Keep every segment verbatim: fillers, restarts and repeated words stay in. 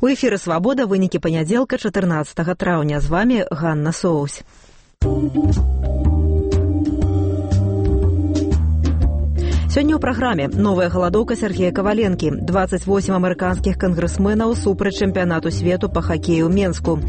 У эфіры «Свабода» вынікі панядзелка чатырнаццатага траўня. З вами Ганна Соусь. Сёння ў праграме новая галадоўка Сергея Каваленкі, двадцать восемь амерыканскіх кангрэсменаў супраць чэмпіянату свету па хакею ў Менску.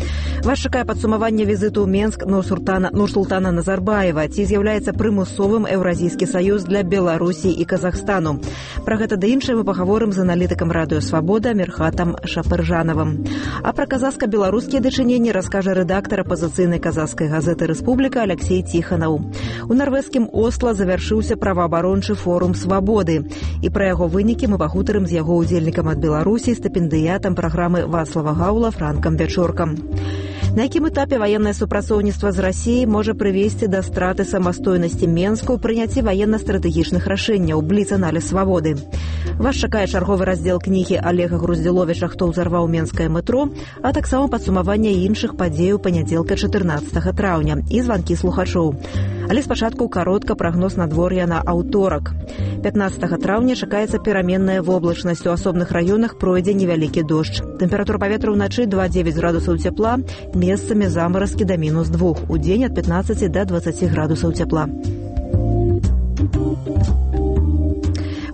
Вас чакае падсумаванне візіту ў Менск Нурсултана Назарбаева. Ці з'яўляецца прымусовым Еўразійскі саюз для Беларусі і Казахстану? Пра гэта да іншае мы пагаворым з аналітыкам радыё «Свабода» Мірхатам Шапыржанавым. А пра казахска-беларускія дачыненні раскажа рэдактар апазіцыйнай казахскай газеты «Рэспубліка» Алексей Тиханаў. У нарвежскім Осла завяршыўся праваабарончы форум «Свабоды». І пра яго вынікі мы пагутарым з яго удзельнікам ад Беларусі, стыпендыятам праграмы Вацлава Гаула Франкам Вячоркам. На якім этапе ваеннае супрацоўніцтва з Расіяй можа прывесці да страты самастойнасці Менску ў прыняцці ваенна-стратэгічных рашэнняў, бліц-аналіз «Свабоды». Вас чакае чарговы раздзел кнігі Олега Груздзіловіча «Хто ўзарваў менскае метро», а таксама падсумаванне іншых падзеяў панядзелка чатырнаццатага траўня і званкі слухачоў. Але спачатку каротка прагноз надвор'я на аўторак. пятнаццатага траўня чакаецца пераменная воблачнасць. У асобных раёнах пройдзе невялікі дождж. Тэмпература паветра ўначы два дзевяць градусаў цяпла, месцамі замаразкі да мінус двух. У дзень ад пятнаццаці да дваццаці градусаў цяпла.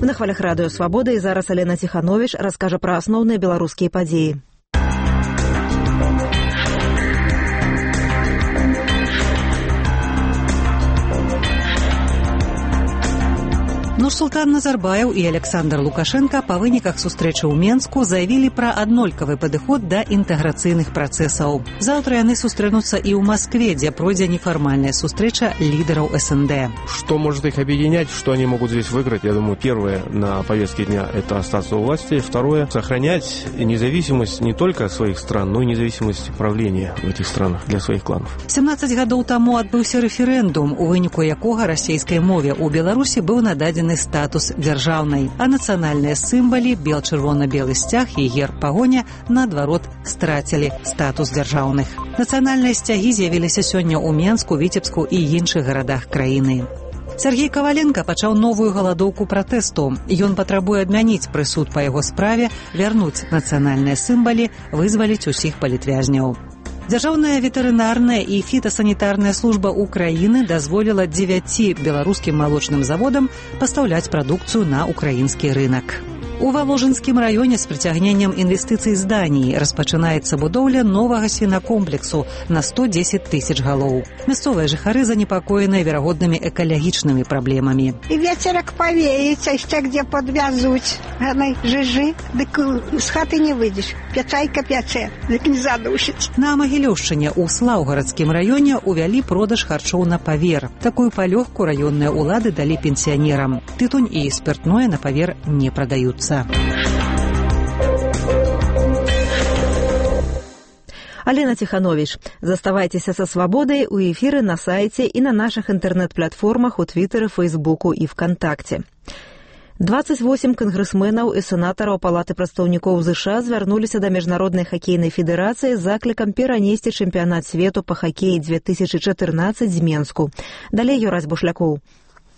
На хвалях радыё «Свабода» і зараз Алена Ціхановіч раскажа пра асноўныя беларускія падзеі. Нурсултан Назарбаев і Александр Лукашенко па выніках сустрэчы ў Менску заявілі пра аднолькавы падыход да інтэграцыйных працэсаў. Заўтра яны сустрэнуцца і ў Москве, дзе пройдзе нефармальная сустрэча лидеров СНД. Что может их объединять, что они могут здесь выиграть? Я думаю, первое на повестке дня – это остаться у власти. Второе – сохранять независимость не только своих стран, но и независимость правления в этих странах для своих кланов. семнадцаць гадоў таму адбыўся рэферэндум, у выніку якога расійскай мове ў Беларусі быў нададзены статус дзяржаўнай, а нацыянальныя сімвалы бел-чырвона-белы сцяг і герб пагоня наадварот страцілі статус дзяржаўных. Нацыянальныя сцягі з'явіліся сёння ў Менску, Віцебску і іншых гарадах краіны. Сергей Каваленко пачаў новую галадоўку пратэсту. Ён патрабуе адмяніць прысуд па яго справе, вярнуць нацыянальныя сімвалы, вызваліць усіх палітвязняў. Дзяржаўная ветэрынарная і фітасанітарная служба Украіны дазволіла дзевяці беларускім малочным заводам пастаўляць прадукцыю на украінскі рынак. У Валожынскім раёне з прыцягненнем інвестыцый з Даніі распачынаецца будоўля новага свінакомплексу на сто дзесяць тысяч галоў. Мясцовыя жыхары занепакоеныя верагоднымі экалагічнымі праблемамі. І вецерак павеецца, яшчэ где подвязуць. Ганай жыжы, дык з хаты не выйдзеш. Пячайка пячэ, дык не задушыць. На Магілёўшчыне ў Слаўгарадскім раёне увялі продаж харчоў на павер. Такую палёгку раённыя ўлады далі пенсіянерам. Тытунь і спиртное на павер не прадаюцца. Алена Ціхановіч. Заставайцеся са «Свабодай» у эфіры на сайце і на нашых інтэрнэт-платформах у Твітэры, Фейсбуку і ВКонтакце. двадцать восемь кангрэсменаў і сенатараў Палаты прадстаўнікоў ЗША звярнуліся да Міжнароднай хакейнай федэрацыі з заклікам перанесці чэмпіянат свету па хакеі две тысячы чатырнаццаць з Менску. Далей Юрась Бушлякоў.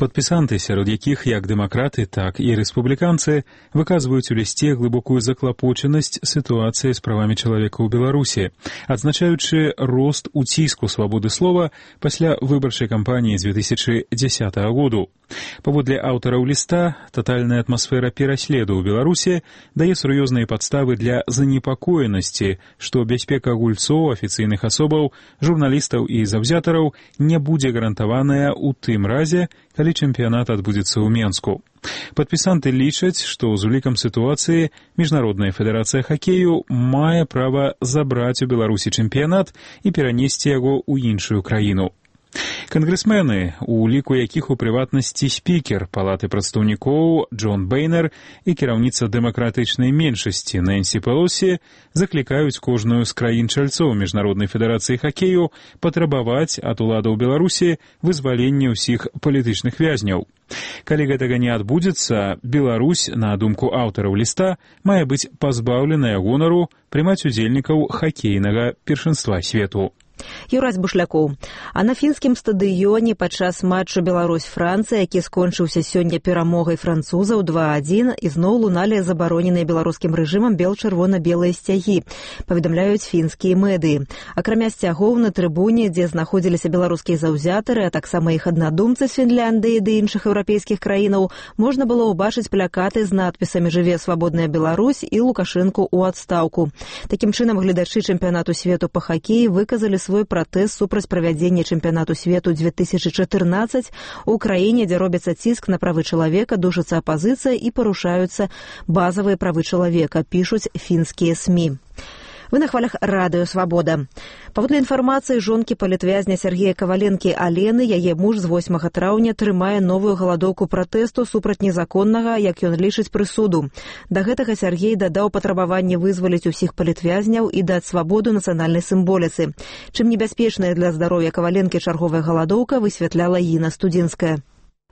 Падпісанты, сярод якіх як дэмакраты, так і рэспубліканцы, выказваюць у лісце глыбокую заклапочанасць сітуацыі з правамі чалавека ў Беларусі, адзначаючы рост у ціску свабоды слова пасля выбарчай кампаніі з две тысячы дзесятага году. Паводле аўтараў ліста, татальная атмасфера пераследу ў Беларусі дае сур'ёзныя падставы для занепакоенасці, што бяспека гульцоў, афіцыйных асобаў, журналістаў і заўзятараў не будзе гарантаваная ў тым разе, калі чэмпіянат адбудзецца ў Менску. Падпісанты лічаць, што з улікам сітуацыі Міжнародная федэрацыя хакею мае права забраць у Беларусі чэмпіянат і перанесці яго ў іншую краіну. Кангрэсмены, у ліку якіх у прыватнасці спікер Палаты прадстаўнікоў Джон Бейнер і кіраўніца дэмакратычнай меншасці Нэнсі Пелосі, заклікаюць кожную з краін-чальцоў Міжнароднай федэрацыі хакею патрабаваць ад уладаў Беларусі вызвалення ўсіх палітычных вязняў. Калі гэтага не адбудзецца, Беларусь, на думку аўтараў ліста, мае быць пазбаўленая гонару прымаць удзельнікаў хакейнага першынства свету. Юрась Бушлякоў. А на фінскім стадыёне падчас матчу Беларусь-Францыя, які скончыўся сёння перамогай французаў два адзін, ізноў луналі забароненыя беларускім рэжымам бел-чырвона-белыя сцягі, паведамляюць фінскія медыі. Акрамя сцягоў на трыбуне, дзе знаходзіліся беларускія заўзятары, а таксама іх аднадумцы з Фінляндыі ды іншых еўрапейскіх краінаў, можна было ўбачыць плакаты з надпісамі «Жыве свабодная Беларусь» і «Лукашэнку ў адстаўку». Такім чынам, гледачы чэмпіянату свету па хакеі выказалі свой пратэст супраць правядзення чэмпіянату свету две тысячы чатырнаццаць у краіне, дзе робіцца ціск на правы чалавека, душыцца апазіцыя і парушаюцца базавыя правы чалавека, пішуць фінскія СМІ. Вы на хвалях радыё «Свабода». Паводле інфармацыі жонкі палітвязня Сергея Каваленкі Алены, яе муж з восьмага траўня трымае новую галадоўку пратэсту супраць незаконнага, як ён лічыць, прысуду. Да гэтага Сергей дадаў патрабаванне вызваліць усіх палітвязняў і даць свабоду нацыянальнай сімволіцы. Чым небяспечная для здароўя Каваленкі чарговая галадоўка, высвятляла Інна Студзінская.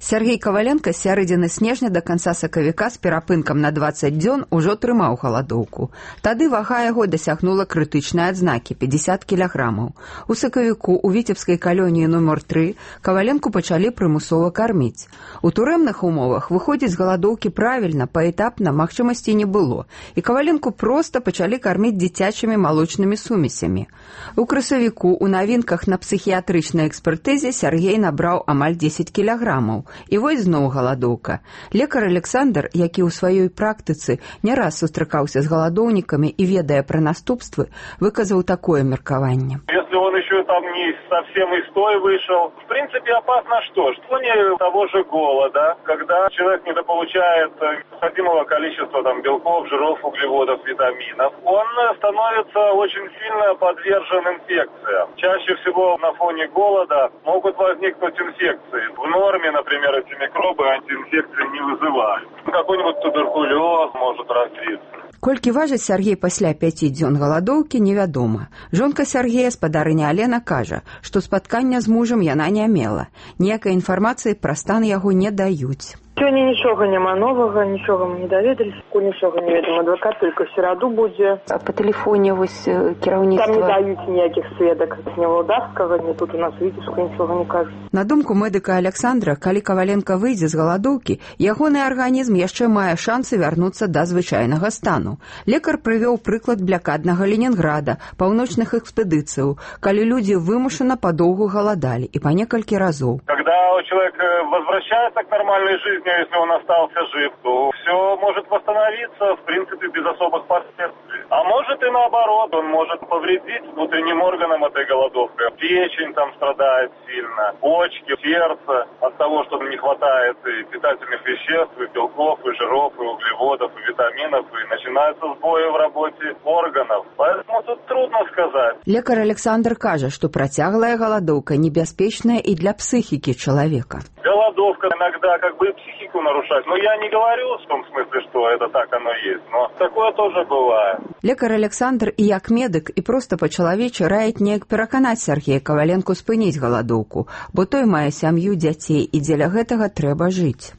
Сергей Каваленка з сярэдзіны снежня да канца сакавіка з перапынкам на дваццаць дзён ужо трымаў галадоўку. Тады вага яго дасягнула крытычнай адзнакі – пятьдесят кілаграмаў. У сакавіку ў віцебскай калоніі нумар тры Каваленку пачалі прымусова карміць. У турэмных умовах выходзіць з галадоўкі правільна, паэтапна магчымасці не было, і Каваленку проста пачалі карміць дзіцячымі малочнымі сумесямі. У красавіку ў навінках на псіхіятрычнай экспертызе Сергей набраў амаль дзесяць кілаграмаў. І вось зноў галадоўка. Лекар Александр, які ў сваёй практыцы не раз сустракаўся з галадоўнікамі і ведае пра наступствы, выказаў такое меркаванне. Если он еще там не совсем из той вышел, в принципе, опасно что? Что не того же голода, когда человек недополучает необходимого количества там, белков, жиров, углеводов, витаминов, он становится очень сильно подвержен инфекциям. Чаще всего на фоне голода могут возникнуть инфекции. В норме, например, эти микробы антиинфекции не вызывают. Какой-нибудь туберкулез может развиться. Колькі важыць Сергей пасля пяці дзён галадоўкі, невядома. Жонка Сергея, спадарыня Алена, кажа, што спаткання з мужам яна не мела. Ніякай інфармацыі пра стан яго не даюць. Сёння нічога няма новага, нічога мы не даведаліся, нічога не ведам. Адвакат толькі ў сераду будзе. А па тэлефоне вось кіраўніцтва... Там не даюць ніякіх сведак. Ні Валдавскага, ні тут у нас Віцебска нічога не кажуць. На думку медыка Александра, калі Каваленка выйдзе з галадоўкі, ягоны арганізм яшчэ мае шансы вярнуцца да звычайнага стану. Лекар прывёў прыклад блякаднага Ленінграда, паўночных экспедыцыяў, калі людзі вымушана падоўгу галадалі і па некалькі разоў. Когда человек возвращается к нормальной жизни, если он остался жив, то все может восстановиться, в принципе, без особых последствий. А может и наоборот, он может повредить внутренним органам этой голодовкой. Печень там страдает сильно, почки, сердце от того, что не хватает и питательных веществ, и белков, и жиров, и углеводов, и витаминов, и начинаются сбои в работе органов. Поэтому тут трудно сказать. Лекар Александр кажа, што працяглая голодовка небяспечная и для психики человека. Голодовка иногда как бы и психику нарушает. Но я не говорю в том смысле, что это так оно есть. Но такое тоже бывает. Лекар Александр і як медык і проста па-чалавечы раяць неяк пераканаць Сергея Каваленку спыніць галадоўку, бо той мае сям'ю, дзяцей, і дзеля гэтага трэба жыць.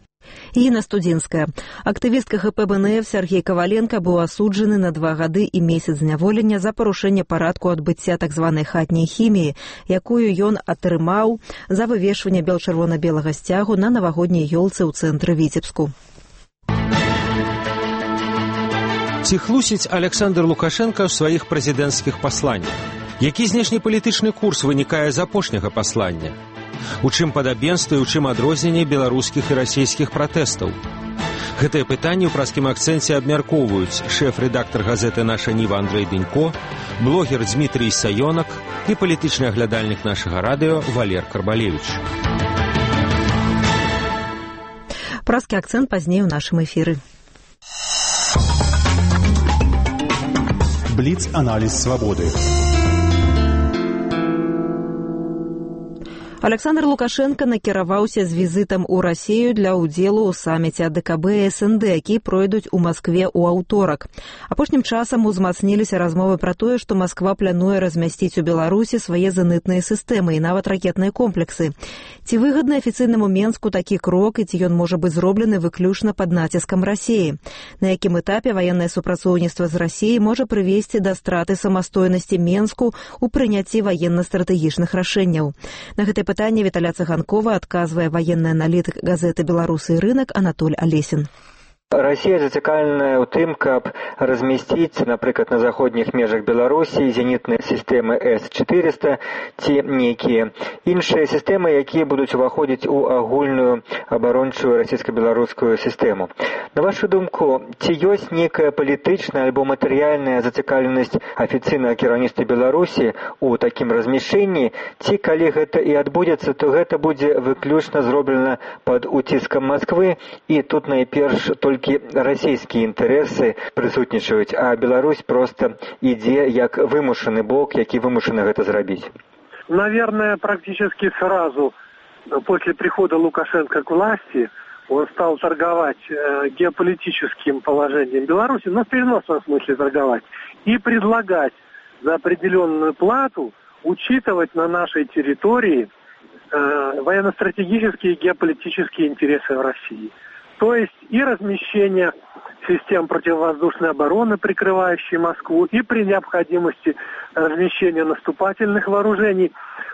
Інна Студзінская. Актывістка гэ пэ бэ эн эф Сергей Каваленка быў асуджаны на два гады і месяц зняволення за парушэнне парадку адбыцця так званай хатняй хіміі, якую ён атрымаў за вывешванне бел-чырвона-белага сцягу на навагодняй ёлцы ў цэнтры Віцебску. Ці хлусіць Александр Лукашенко ў сваіх прэзідэнцкіх пасланнях? Які знешнепалітычны курс вынікае з апошняга паслання? У чым падабенства і ў чым адрозненне беларускіх і расійскіх пратэстаў? Гэтыя пытанні ў праскім акцэнце абмяркоўваюць шэф-рэдактар газеты «Наша Ніва» Андрэй Дынько, блогер Дмітрый Саёнак і палітычны аглядальнік нашага радыё Валер Карбалевіч. Праскі акцэнт пазней у нашым эфіры. Бліц-аналіз свабоды. Александр Лукашенко накіраваўся з візітам у Расію для ўдзелу ў саміце АДКБ і СНД, які пройдуць у Маскве ў аўторак. Апошнім часам узмацніліся размовы пра тое, што Масква плануе размясціць у Беларусі свае зенітныя сістэмы і нават ракетныя комплексы. Ці выгадны афіцыйнаму Менску такі крок і ці ён можа быць зроблены выключна пад націскам Расіі? На якім этапе ваеннае супрацоўніцтва з Расіяй можа прывесці да страты самастойнасці Менску ў прыняцці ваенна-стратэгічных рашэнняў? На гэтай пытанне Віталя Цыганкова адказвае ваенны аналітык газеты «Беларусы і рынок» Анатоль Алесін. Расія зацікаўленая ў тым, каб размясціць, напрыклад, на заходніх межах Беларусі зенітныя сістэмы эс чатырыста ці нейкія іншыя сістэмы, якія будуць уваходзіць у агульную абарончую расійска-беларускую сістэму. На вашу думку, ці ёсць нейкая палітычная альбо матэрыяльная зацікаўленасць афіцыйнага кіраўніцтва Беларусі ў такім размяшчэнні, ці калі гэта і адбудзецца, то гэта будзе выключна зроблена пад уціскам Масквы, і тут найперш толькі расійскія інтарэсы прысутнічаюць, а Беларусь просто ідзе як вымушаны бок, які вымушаны гэта зрабіць. Наверное, практически сразу после прихода Лукашенко к власти он стал торговать э, геополитическим положением Беларуси, но в переносном смысле торговать, и предлагать за определенную плату учитывать на нашей территории э, военно-стратегические и геополитические интересы в России. То есть и размещение систем противовоздушной обороны, прикрывающей Москву, и при необходимости размещения наступательных вооружений.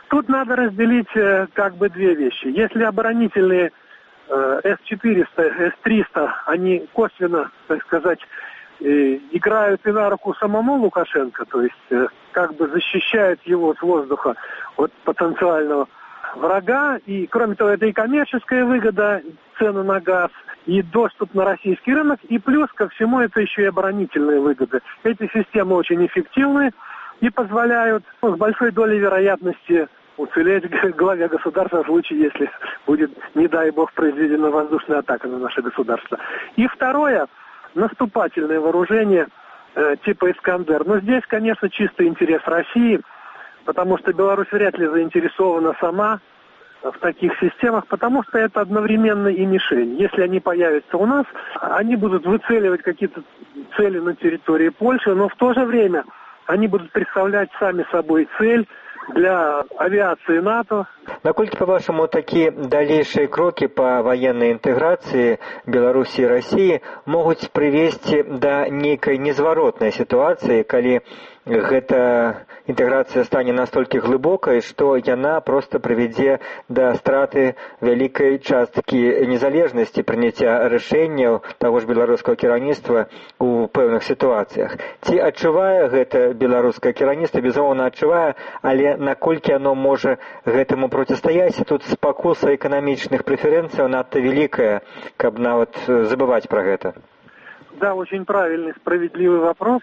Тут надо разделить э, как бы две вещи. Если оборонительные э, эс четыреста, эс триста, они косвенно, так сказать, э, играют и на руку самому Лукашенко, то есть э, как бы защищают его с воздуха от потенциального врага, и кроме того, это и коммерческая выгода, цены на газ, и доступ на российский рынок, и плюс ко всему это еще и оборонительные выгоды. Эти системы очень эффективны и позволяют ну, с большой долей вероятности уцелеть главе государства в случае, если будет, не дай бог, произведена воздушная атака на наше государство. И второе, наступательное вооружение э, типа «Искандер». Но здесь, конечно, чистый интерес России, потому что Беларусь вряд ли заинтересована сама в таких системах, потому что это одновременно и мишень. Если они появятся у нас, они будут выцеливать какие-то цели на территории Польши, но в то же время они будут представлять сами собой цель для авиации НАТО. Наколькі, по-вашаму, такія далейшыя крокі па ваеннай інтэграцыі Беларусі і Расіі могуць прывесці да нейкай незваротнай сітуацыі, калі гэта інтэграцыя стане настолькі глыбокай, што яна проста прывядзе да страты вялікай часткі незалежнасці прыняцця рашэнняў таго ж беларускага кіраўніцтва ў пэўных сітуацыях. Ці адчувае гэта беларускае кіраўніцтва? Безумоўна, адчувае, але наколькі оно можа гэтаму процістаяць? Тут спакуса эканамічных прэферэнцыяў надта вялікая, каб нават забываць пра гэта. Да, очень правильный, справедливый вопрос.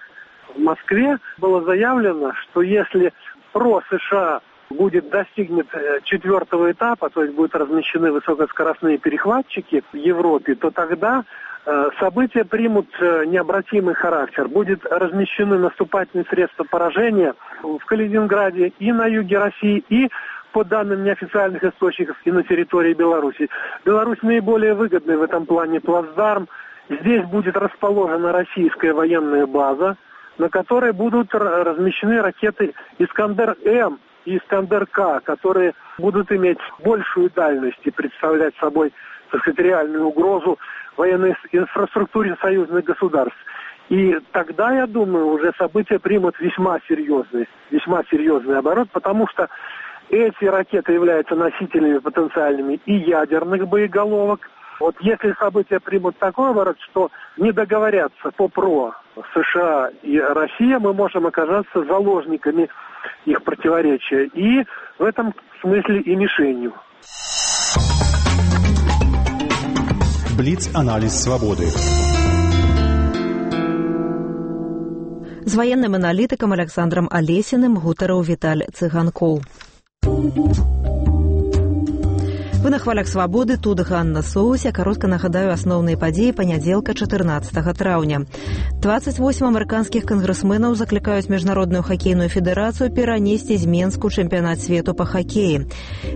В Москве было заявлено, что если ПРО США будет достигнут четвертого этапа, то есть будут размещены высокоскоростные перехватчики в Европе, то тогда э, события примут э, необратимый характер. Будет размещены наступательные средства поражения в Калининграде и на юге России, и по данным неофициальных источников, и на территории Беларуси. Беларусь наиболее выгодный в этом плане плацдарм. Здесь будет расположена российская военная база, на которой будут размещены ракеты «Искандер-М» и «Искандер-К», которые будут иметь большую дальность и представлять собой, так сказать, реальную угрозу военной инфраструктуре союзных государств. И тогда, я думаю, уже события примут весьма серьезный, весьма серьезный оборот, потому что эти ракеты являются носителями потенциальными и ядерных боеголовок. Вот если события примут такой оборот, что не договорятся по ПРО США и Россия, мы можем оказаться заложниками их противоречия. И в этом смысле и мишенью. Бліц-аналіз свабоды. З ваенным аналітыкам Александром Алесіным гутарыў Віталь Цыганкоў. Вы на хвалях свабоды, тут Ганна Соуся. Коротко нагадаю асноўныя падзеі панядзелка чатырнаццатага траўня. двадцать восемь амерыканскіх кангрэсменаў заклікаюць міжнародную хакейную федэрацыю перанесці з Менску чэмпіянат свету па хакеі.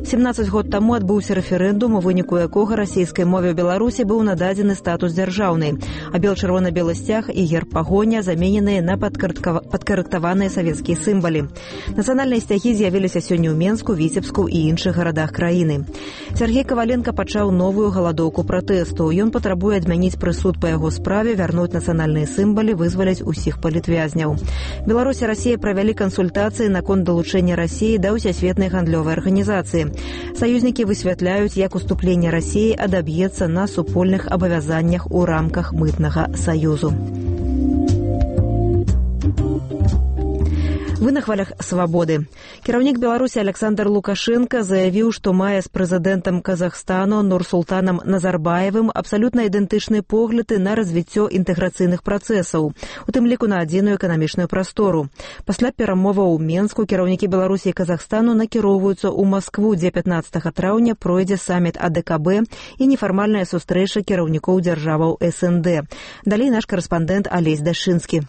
семнаццаць год таму адбыўся рэферэндум, у выніку якога расійскай мове ў Беларусі быў нададзены статус дзяржаўнай, а бел-чырвона-белы сцяг і герб пагоня замененыя на падкарэктаваныя савецкія сімвалы. Нацыянальныя сцягі з'явіліся сёння ў Менску, Віцебску і іншых гарадах краіны. Сергей Коваленко пачаў новую галадоўку пратэсту. Ён патрабуе адмяніць прысуд па яго справе, вярнуць нацыянальныя сімвалы, вызваляць усіх палітвязняў. Беларусь і Расія правялі кансультацыі наконт далучэння Расіі да ўсясветнай гандлёвай арганізацыі. Саюзнікі высвятляюць, як уступленне Расіі адаб'ецца на супольных абавязаннях у рамках мытнага саюзу. Вы на хвалях свабоды. Кіраўнік Беларусі Александр Лукашенко заявіў, што мае з прэзідэнтам Казахстану Нурсултанам Назарбаевым абсалютна ідэнтычныя погляды на развіццё інтэграцыйных працэсаў, у тым ліку на адзіную эканамічную прастору. Пасля перамоваў у Менску кіраўнікі Беларусі і Казахстану накіроўваюцца ў Маскву, дзе пятнаццатага траўня пройдзе саміт А Дэ Ка Бэ і нефармальная сустрэча кіраўнікоў дзяржаваў Эс Эн Дэ. Далей наш карэспандэнт Алесь Дашынскі.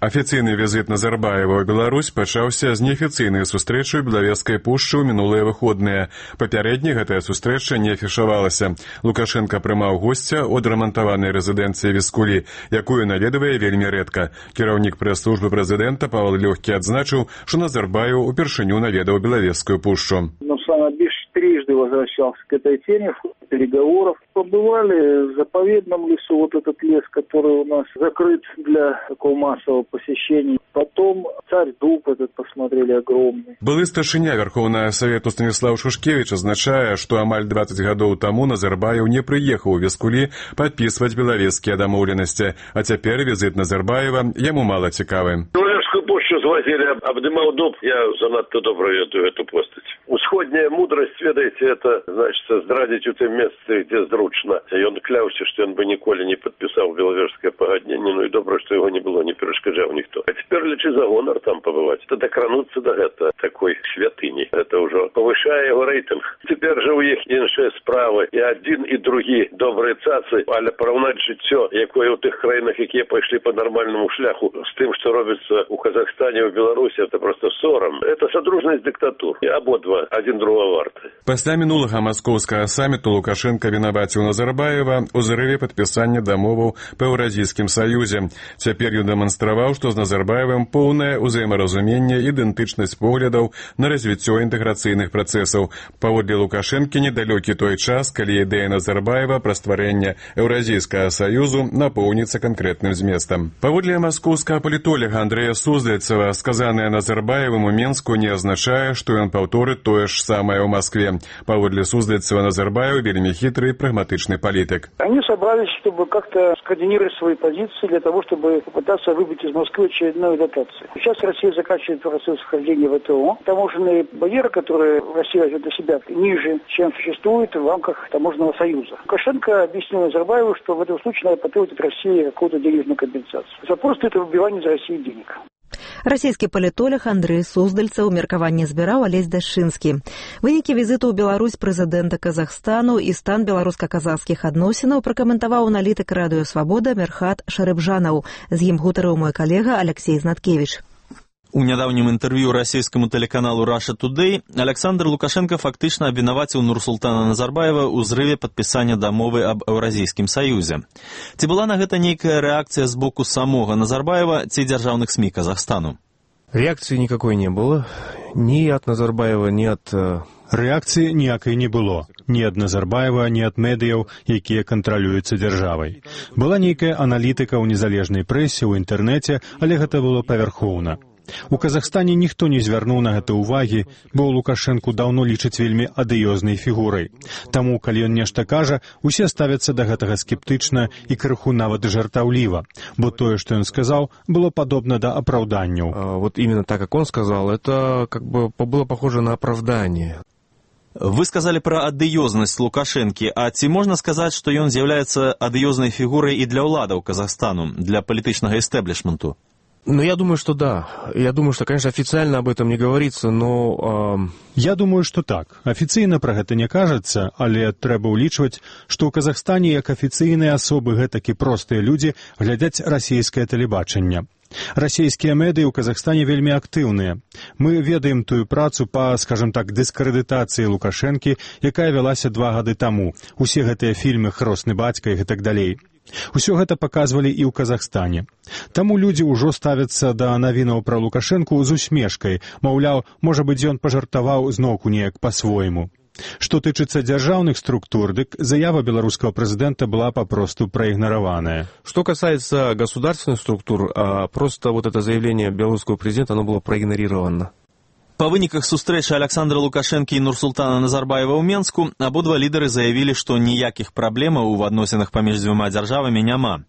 Афіцыйны візіт Назарбаева ў Беларусь пачаўся з неафіцыйнай сустрэчы ў Белавежскай пушчы ў мінулыя выходныя. Папярэдне гэтая сустрэча не афішавалася. Лукашенко прымаў госця ў адрамантаванай рэзідэнцыі Віскулі, якую наведвае вельмі рэдка. Кіраўнік прэс-службы прэзідэнта Павел Лёгкі адзначыў, што Назарбаев упершыню наведаў Белавежскую пушчу. Санабиш трижды возвращался к этой теме в ходе переговоров. Побывали в заповедном лесу, вот этот лес, который у нас закрыт для такого массового посещения. Потом царь Дуб этот посмотрели огромный. Былы старшыня Верховнага Совету Станіслав Шушкевич азначае, што амаль двадцать гадоў таму Назарбаев не прыехаў у Віскулі падпісваць белавежскія дамоўленасці, а цяпер візіт Назарбаева яму мала цікавы. Белавежскую пушчу звозили, обдымал Дуб, я занадто добра ведаю эту постать. Усходняя мудрость, ведаете, это, значит, здрадзіць у тым месцы, где зручна. Ён кляўся, што ён бы ніколі не падпісаў белавежскае пагадненне, ну і добра, што яго не было, не перашкаджаў ніхто. А цяпер лічы за гонар там пабываць. Это дакрануцца да гэта такой святыні. Это ўжо павышае яго рэйтынг. Цяпер жа ў іх іншыя справы. І адзін, і другі добрыя цацы, але параўнаць жыццё, якое ў тых краінах, якія пайшлі па нармальнаму шляху, з тым, што робіцца ў Казахстане, ў Беларусі, это просто сорам. Это содружнасць дыктатур. І абодва адзін другого варты. Пасля мінулага маскоўскага саміту Лукашенко вінаваціў Назарбаева ў зрыве падпісання дамоваў па Еўразійскім саюзе. Цяпер ён дэманстраваў, што з Назарбаевым поўнае ўзаемаразуменне, ідэнтычнасць поглядаў на развіццё інтэграцыйных працэсаў. Паводле Лукашэнкі недалёкі той час, калі ідэя Назарбаева пра стварэнне Еўразійскага саюзу напоўніцца канкрэтным зместам. Паводле маскоўскага палітолага Андрэя Суздальцева, сказанае Назарбаевым у Менску не азначае, што ён паўторыць тое ж самое ў Москве. Паводле Суздальцева, Назарбаев вельми хитрый, прагматичный политик. Они собрались, чтобы как-то скоординировать свои позиции для того, чтобы попытаться выбить из Москвы очередную дотацию. Сейчас Россия заканчивает процесс вхождения в ВТО. Таможенные барьеры, которые Россия возьмет для себя, ниже, чем существует в рамках таможенного союза. Лукашенко объяснил Назарбаеву, что в этом случае надо потребовать от России какую-то денежную компенсацию. Запрос это выбивание из России денег. Расійскі палітолог Андрэй Суздальцаў меркаванне збіраў Алесь Дашынскі. Вынікі візіту ў Беларусь прэзідэнта Казахстану і стан беларуска-казахскіх адносінаў пракаментаваў аналітык радыё «Свабода» Мерхат Шарыбжанаў. З ім гутарыў мой калега Алексей Знаткевич. У нядаўнім інтэрв'ю расійскаму тэлеканалу Russia Today Александр Лукашенко фактычна абвінаваціў Нурсултана Назарбаева ў зрыве падпісання дамовы аб Еўразійскім саюзе. Ці была на гэта нейкая рэакцыя з боку самога Назарбаева ці дзяржаўных СМИ Казахстану? Реакции никакой не было. Ни от Назарбаева, ни от... Рэакцыі ніякай не было. Ні ад Назарбаева, ні ад медыяў, якія кантралююцца дзяржавай. Была нейкая аналітыка ў незалежнай прэсе, ў інтэрнэце, але гэта было павярхоўна. У Казахстане ніхто не звярнуў на гэта ўвагі, бо Лукашэнку даўно лічыць вельмі адыёзнай фігурай. Таму, калі ён нешта кажа, усе ставяцца да гэтага скептычна і крыху нават жартаўліва, бо тое, што ён сказаў, было падобна да апраўданняў. Вот именно так, как он сказал, это как бы было похоже на оправдание. Вы сказали про адыёзнасць Лукашэнкі, а ці можна сказаць, што ён з'яўляецца адыёзнай фігурай і для ўладаў Казахстану, для палітычнага эстэблішменту? Ну, я думаю, что да. Я думаю, что, конечно, официально об этом не говорится, но... Э... Я думаю, што так. Афіцыйна пра гэта не кажацца, але трэба ўлічваць, што ў Казахстане як афіцыйныя асобы гэтакі простыя людзі глядзяць расійскае тэлебачанне. Расійскія медыі ў Казахстане вельмі актыўныя. Мы ведаем тую працу па, скажем так, дыскрэдытацыі Лукашэнкі, якая вялася два гады таму. Усе гэтыя фільмы «Хросны бацька» і гэтак далей. Усё гэта паказвалі і ў Казахстане. Таму людзі ўжо ставяцца да навінаў пра Лукашэнку з усмешкай, маўляў, можа быць, ён пажартаваў зноўку неяк па-свойму. Што тычыцца дзяржаўных структур, дык заява беларускага прэзідэнта была папросту проигнорованная. Что касается государственных структур, просто вот это заявление белорусского президента, оно было проигнорировано. Па выніках сустрэчы Александра Лукашэнкі і Нурсултана Назарбаева ў Менску абодва лідары заявілі, што ніякіх праблемаў у адносінах паміж дзвюма дзяржавамі няма.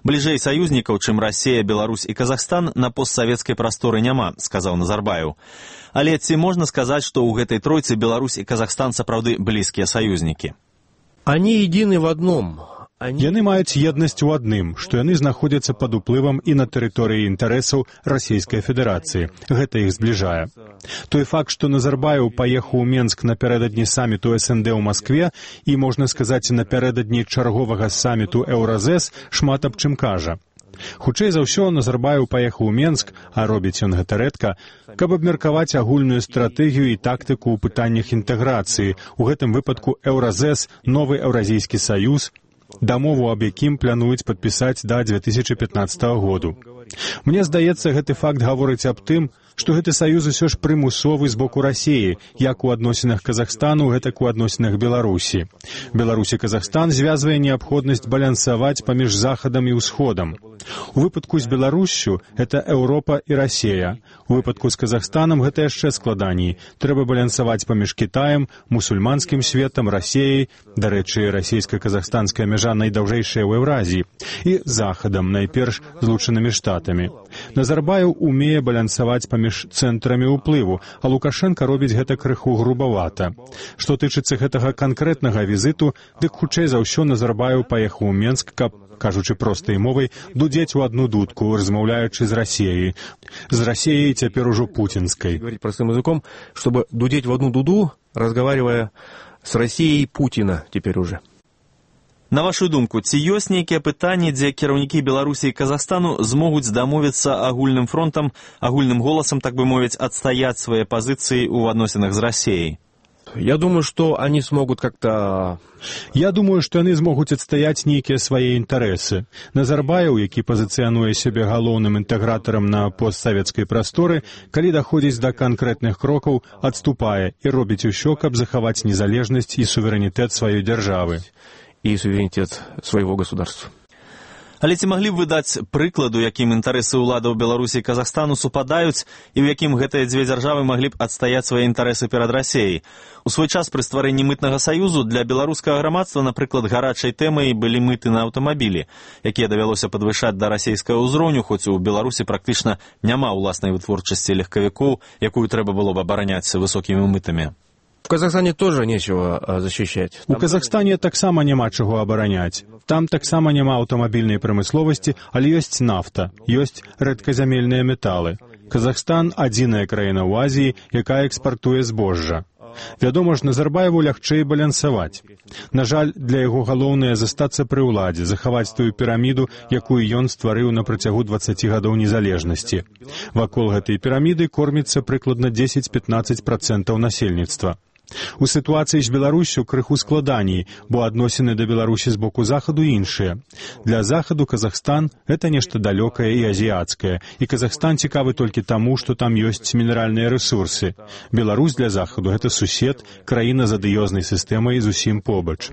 Бліжэй саюзнікаў, чым Расія, Беларусь і Казахстан, на постсавецкай прасторы няма, сказаў Назарбаев. Але ці можна сказаць, што ў гэтай тройцы Беларусь і Казахстан сапраўды блізкія саюзнікі? Они едины в одном. Яны маюць еднасць у адным, што яны знаходзяцца пад уплывам і на тэрыторыі інтарэсаў Расійскай Федэрацыі. Гэта іх збліжае. Той факт, што Назарбаев паехаў у Менск напярэдадні саміту эс эн дэ ў Маскве і, можна сказаць, напярэдадні чарговага саміту Еўразэс, шмат аб чым кажа. Хутчэй за ўсё, Назарбаев паехаў у Менск, а робіць ён гэта рэдка, каб абмеркаваць агульную стратэгію і тактыку ў пытаннях інтэграцыі, у гэтым выпадку Еўразэс, новы Еўразійскі саюз, дамову аб якім плануюць падпісаць да дзве тысячы пятнаццатага году. Мне здаецца, гэты факт гаворыць аб тым, што гэты саюз усё ж прымусовы з боку Расіі, як у адносінах Казахстану, гэтак у адносінах Беларусі. Беларусь і Казахстан звязвае неабходнасць балансаваць паміж Захадам і Ўсходам. У выпадку з Беларуссю гэта Еўропа і Расія. У выпадку з Казахстанам гэта яшчэ складаней. Трэба балансаваць паміж Кітаем, мусульманскім светам, Расіяй, дарэчы, расійска-казахстанская мяжа найдаўжэйшая ў Еўразіі, і Захадам, найперш Злучанымі Штатамі. Назарбаев умее балансаваць паміж цэнтрамі ўплыву, а Лукашенко робіць гэта крыху грубавата. Што тычыцца гэтага канкрэтнага візіту, дык хутчэй за ўсё Назарбаев паехаў у Менск, каб, кажучы простай мовай, дудзець у одну дудку, размаўляючы з Расіяй. З Расіяй цяпер ужо путінскай. Говорить простым языком, чтобы дудеть в одну дуду, разговаривая с Россией Путина теперь уже. На вашу думку, ці ёсць нейкія пытанні, дзе кіраўнікі Беларусі і Казахстану змогуць дамовіцца агульным фронтам, агульным голасам, так бы мовіць, адстаяць свае пазіцыі ў адносінах з Расіяй? Я думаю, что они смогут как-то... Я думаю, што яны змогуць адстаяць нейкія свае інтарэсы. Назарбаев, які пазіцыянуе сябе галоўным інтэгратарам на постсавецкай прасторы, калі даходзіць да канкрэтных крокаў, адступае і робіць усё, каб захаваць незалежнасць і суверэнітэт сваёй дзяржавы. И суверенитет своего государства. Але ці маглі б вы даць прыкладу, якім інтарэсы ўладаў Беларусі і Казахстану супадаюць, і ў якім гэтыя дзве дзяржавы маглі б адстаяць свае інтарэсы перад Расіяй? У свой час пры стварэнні мытнага саюзу для беларускага грамадства, напрыклад, гарачай тэмай былі мыты на аўтамабілі, якія давялося падвышаць да расійскага ўзроўню, хоць у Беларусі практычна няма ўласнай вытворчасці легкавікоў, якую трэба было б абараняць высокімі мытамі. В Казахстане тоже нечего защищать. У Казахстане таксама няма чаго абараняць. Там таксама няма аўтамабільнай прамысловасці, але ёсць нафта, ёсць рэдказямельныя металы. Казахстан – адзіная краіна ў Азіі, якая экспартуе збожжа. Вядома ж, Назарбаеву лягчэй балансаваць. На жаль, для яго галоўнае застацца пры ўладзе, захаваць тую піраміду, якую ён стварыў на працягу дваццаці гадоў незалежнасці. Вакол гэтай піраміды корміцца прыкладна дзесяць-пятнаццаць працэнтаў насельніцтва. У сітуацыі з Беларуссю крыху складаней, бо адносіны да Беларусі з боку Захаду іншыя. Для Захаду Казахстан – гэта нешта далёкае і азіяцкае, і Казахстан цікавы толькі таму, што там ёсць мінеральныя рэсурсы. Беларусь для Захаду – гэта сусед, краіна з адыёзнай сістэмай зусім побач.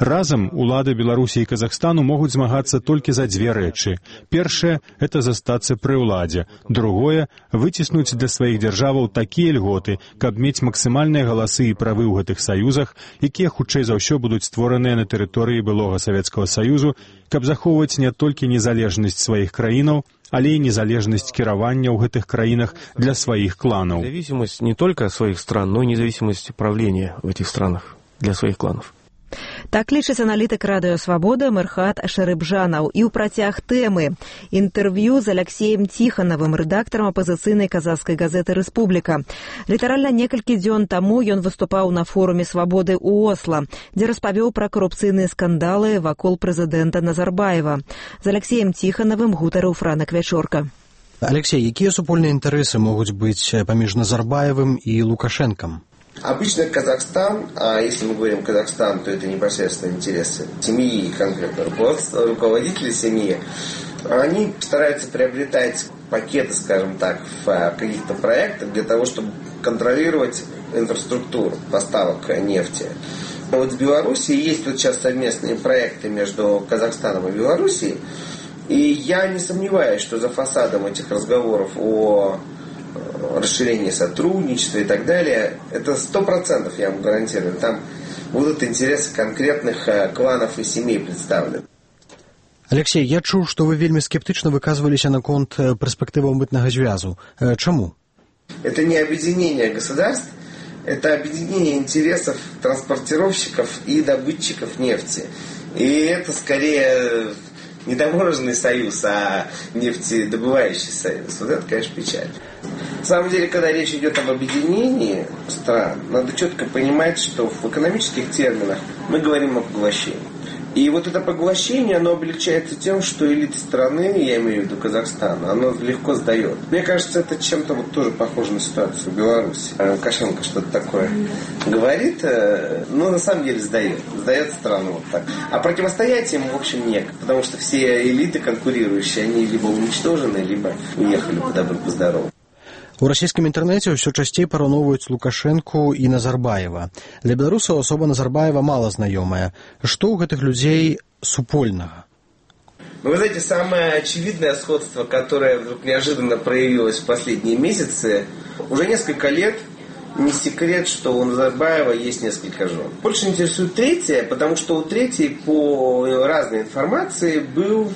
Разам улады Беларусі і Казахстану могуць змагацца толькі за дзве рэчы. Першае – гэта застацца пры ўладзе. Другое – выціснуць для сваіх дзяржаваў такія льготы, каб мець максімальныя галасы і правы ў гэтых саюзах, якія хутчэй за ўсё будуць створаныя на тэрыторыі былога Савецкага Саюзу, каб захоўваць не толькі незалежнасць сваіх краінаў, але і незалежнасць кіравання ў гэтых краінах для сваіх кланаў. Независимость не только своих стран, но и независимость правления в этих странах для своих кланов. Так лічыць аналітык радыё «Свабода» Мэрхат Шарыбжанаў. І ў працяг тэмы інтэрв'ю з Алексеем Ціханавым, рэдактарам апазіцыйнай казахскай газеты «Рэспубліка». Літаральна некалькі дзён таму ён выступаў на форуме «Свабоды» ў Осла, дзе распавёў пра карупцыйныя скандалы вакол прэзідэнта Назарбаева. З Алексеем Ціханавым гутарыў Франак Вячорка. Алексей, якія супольныя інтарэсы могуць быць паміж Назарбаевым і Лукашенком? Обычно Казахстан, а если мы говорим Казахстан, то это непосредственно интересы семьи, конкретно руководства, руководителей семьи. Они стараются приобретать пакеты, скажем так, в каких-то проектах для того, чтобы контролировать инфраструктуру поставок нефти. Вот в Беларуси есть вот сейчас совместные проекты между Казахстаном и Белоруссией, и я не сомневаюсь, что за фасадом этих разговоров о расширение сотрудничества и так далее, это сто процентов, я вам гарантирую. Там будут интересы конкретных кланов и семей представлены. Алексей, я чуў, што вы вельмі скептычна выказваліся наконт перспектываў мытнага звязу. Чаму? Это не объединение государств, это объединение интересов транспортировщиков и добытчиков нефти. И это скорее не таможенный союз, а нефтедобывающий союз. Вот это, конечно, печаль. На самом деле, когда речь идет об объединении стран, надо четко понимать, что в экономических терминах мы говорим о поглощении. И вот это поглощение, оно облегчается тем, что элита страны, я имею в виду Казахстан, оно легко сдает. Мне кажется, это чем-то вот тоже похоже на ситуацию в Беларуси. Лукашенко что-то такое говорит, но на самом деле сдает. Сдает страну вот так. А противостоять ему, в общем, некогда. Потому что все элиты конкурирующие, они либо уничтожены, либо уехали по добру, по здорову. У расійскім інтэрнэце ўсё часцей параўноўваюць Лукашэнку і Назарбаева. Для беларусаў асоба Назарбаева мала знаёмая. Што ў гэтых людзей супольнага? Ну, вы знаете, самое очевидное сходство, которое вдруг неожиданно проявилось в последние месяцы, уже несколько лет не секрет, что у Назарбаева есть несколько жен. Больше интересует третья, потому что у третьей, по разной информации, был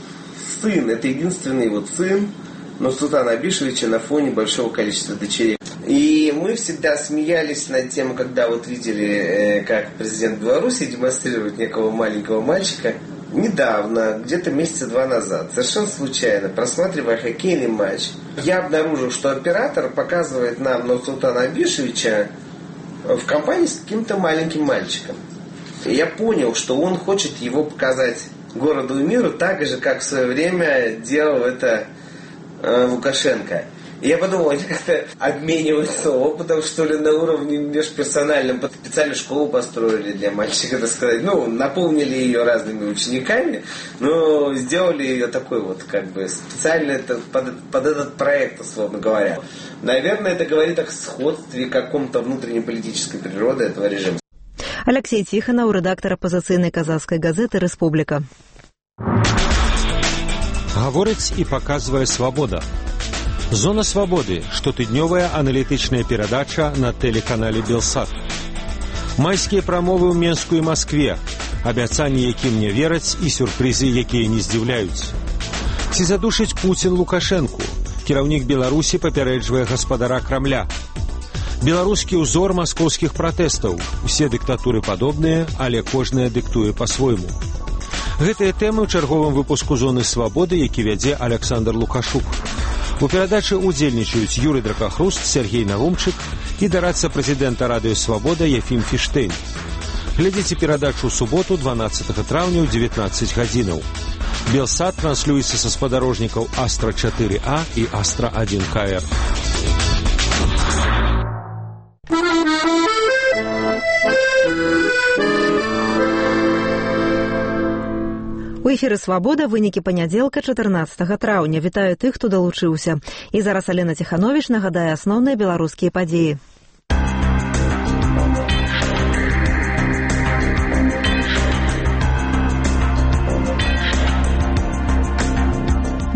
сын. Это единственный вот сын Нурсултана Абишевича на фоне большого количества дочерей. И мы всегда смеялись над тем, когда вот видели, как президент Беларуси демонстрирует некого маленького мальчика. Недавно, где-то месяца два назад, совершенно случайно, просматривая хоккейный матч, я обнаружил, что оператор показывает нам Нурсултана Абишевича в компании с каким-то маленьким мальчиком. И я понял, что он хочет его показать городу и миру так же, как в свое время делал это Лукашенко. И я подумал, они как-то обмениваются опытом, что ли, на уровне межперсональном. Специально школу построили для мальчика, так сказать. Ну, наполнили ее разными учениками, но сделали ее такой вот, как бы, специально это, под, под этот проект, условно говоря. Наверное, это говорит о сходстве каком-то внутреннеполитической природы этого режима. Алексей Тихонов, редактор оппозиционной казахской газеты «Республика». Гаворыць і паказвае «Свабода». Зона свабоды, штотыднёвая аналітычная перадача на тэлеканале «Белсат». Майскія прамовы ў Менску і Маскве, абяцанні, якім не вераць, і сюрпрызы, якія не здзіўляюць. Ці задушыць Пуцін Лукашэнку? Кіраўнік Беларусі папярэджвае гаспадара Крамля. Беларускі ўзор маскоўскіх пратэстаў. Усе дыктатуры падобныя, але кожная дыктуе па-свойму. Гэтыя тэмы ў чарговым выпуску «Зоны свабоды», які вядзе Александр Лукашук. У перадачы удзельнічаюць Юрый Дракахруст, Сергей Нарумчык і дарадца прэзідэнта радыё «Свабода» Ефім Фіштейн. Глядзіце перадачу ў суботу, дванаццатага траўня ў дзевятнаццаць гадзінаў. Белсат транслюецца са спадарожнікаў Астра чатыры А і Астра адзін К Р. У эфіры «Свабода» вынікі панядзелка чатырнаццатага траўня. Вітаю тых, хто далучыўся. І зараз Алена Ціхановіч нагадае асноўныя беларускія падзеі.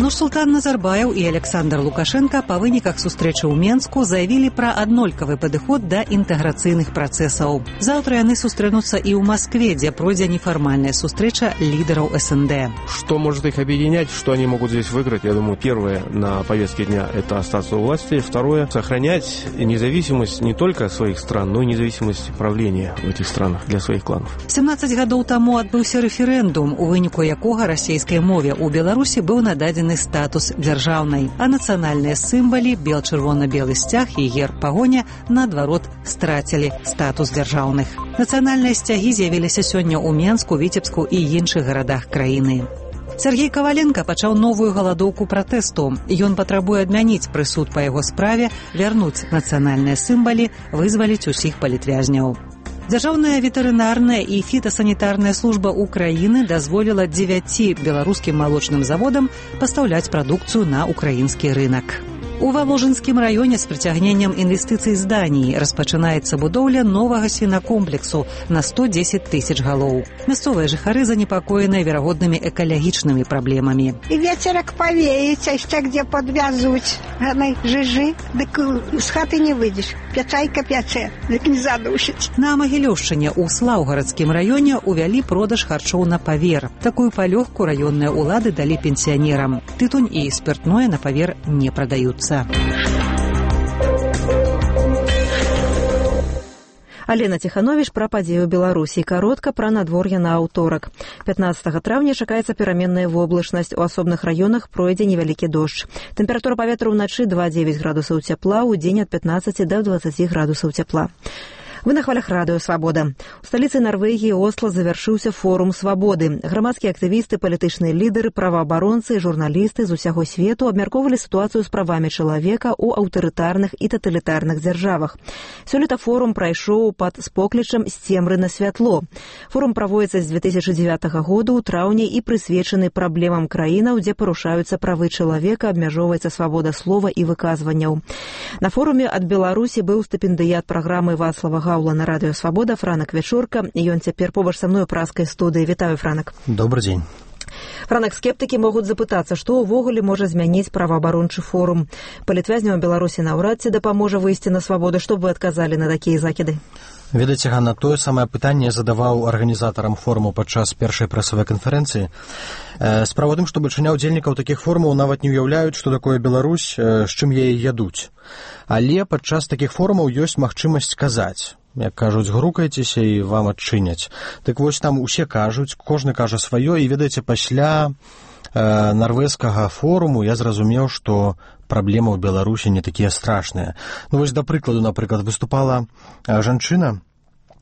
Нурсултан Назарбаев и Александр Лукашенко по выніках сустрэчы ў Менску заявілі пра аднолькавы падыход да інтэграцыйных працэсаў. Заўтра яны сустрэнуцца і ў Маскве, дзе пройдзе нефармальная сустрэча лидеров СНД. Что может их объединять, что они могут здесь выиграть? Я думаю, первое на повестке дня – это остаться у власти. Второе – сохранять независимость не только своих стран, но и независимость правления в этих странах для своих кланов. семнадцаць гадоў таму адбыўся рэферэндум, у выніку якога расійскай мове ў Беларусі быў нададзены статус дзяржаўнай, а нацыянальныя сімвалы – бел-чырвона-белы сцяг і герб пагоня, наадварот, страцілі статус дзяржаўных. Нацыянальныя сцягі з'явіліся сёння ў Менску, Віцебску і іншых гарадах краіны. Сергей Коваленко пачаў новую галадоўку пратэсту. Ён патрабуе адмяніць прысуд па яго справе, вярнуць нацыянальныя сімвалы, вызваліць усіх палітвязняў. Дзяржаўная ветэрынарная і фітасанітарная служба Украіны дазволіла дзевяці беларускім малочным заводам пастаўляць прадукцыю на украінскі рынак. У Воложынскім раёне з прыцягненнем інвестыцый з Даніі распачынаецца будоўля новага свінакомплексу на сто дзесяць тысяч галоў. Мясцовыя жыхары занепакоеныя верагоднымі экалагічнымі праблемамі. І ветерак павеецца, яшчэ где подвязуць. Ганай жыжы, дык з хаты не выйдзеш. Пячайка пячэ, дык не задушыць. На Магілёўшчыне ў Слаўгарадскім раёне увялі продаж харчоў на павер. Такую палёгку раённыя ўлады далі пенсіянерам. Тытунь і спиртное на павер не прадаюцца. Алена Тиханович пра падзеі ў Беларусі. Каротка пра надвор'е на аўторак. пятнаццатага траўня чакаецца пераменная воблачнасць. У асобных раёнах пройдзе невялікі дождж. Тэмпература паветра ўначы два дзевяць градусаў цяпла, у дзень ад пятнаццаці да дваццаці градусаў цяпла. Вы на хвалях радыё «Свабода». У сталіцы Нарвегіі Осло завяршыўся форум свабоды. Грамадскія актывісты, палітычныя лідары, праваабаронцы і журналісты з усяго свету абмяркоўвалі сітуацыю з правамі чалавека ў аўтарытарных і таталітарных дзяржавах. Сёлета форум прайшоў пад споклічам «З цемры на святло». Форум праводзіцца з дзве тысячы дзевятага года ў траўні і прысвечаны праблемам краінаў, дзе парушаюцца правы чалавека, абмяжоўваецца свабода слова і выказванняў. На форуме ад Беларусі быў стыпендыят праграмы Вацлава Гаула на радыё «Свабода» Франак Вечорка, і ён цяпер побач са мной у праскай студыі. Вітаю, Франак. Добрый дзень. Франак, скептыкі могуць запытацца, што ўвогуле можа змяніць праваабарончы форум. Палітвязням Беларусі наўрад ці дапаможа выйсці на свабоду. Што б вы адказалі на такія закіды? Ведаеце, Ганна, тое самае пытанне задаваў арганізатарам форуму падчас першай прэсавай канферэнцыі. Справа ў тым, што бальшыня ўдзельнікаў такіх форумаў нават не ўяўляюць, што такое Беларусь, з чым яе ядуць. Але падчас такіх форумаў ёсць магчымасць сказаць. Як кажуць, грукайцеся і вам адчыняць. Так вось там усе кажуць, кожны кажа сваё, і ведаеце, пасля э, нарвежскага форуму я зразумеў, што праблемы ў Беларусі не такія страшныя. Ну вось, да прыкладу, напрыклад, выступала э, жанчына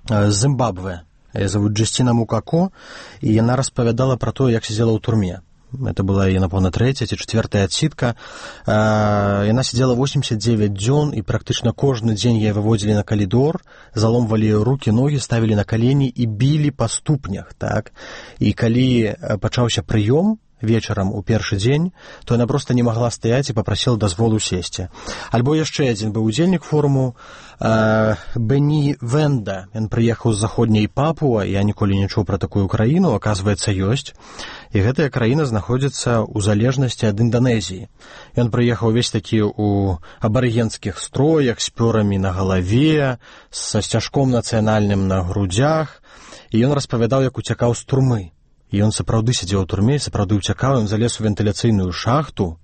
э, з Зімбабве, яе завуць Джасціна Мукако, і яна распавядала пра тое, як сидзела ў турме. Это была яе, напэўна, трэцяя ці чацвёртая адсідка. Яна сидзела восемьдесят девять дзён, і практычна кожны дзень яе выводзілі на калідор, заломвалі рукі, ногі, ставілі на калені і білі па ступнях. Так? І калі пачаўся прыём вечарам у першы дзень, то яна проста не магла стаяць і папрасіла дазволу сесці. Альбо яшчэ адзін быў удзельнік форуму, э, Бені Венда. Ён прыехаў з заходняй Папуа, я ніколі не чуў пра такую краіну, аказваецца, ёсць. І гэтая краіна знаходзіцца ў залежнасці ад Інданезіі. Ён прыехаў увесь такі ў абарыгенскіх строях, з пёрамі на галаве, са сцяжком нацыянальным на грудзях, і ён распавядаў, як уцякаў з турмы. І ён сапраўды сидзеў у турме, сапраўды уцякаў, ён залез у вентыляцыйную шахту,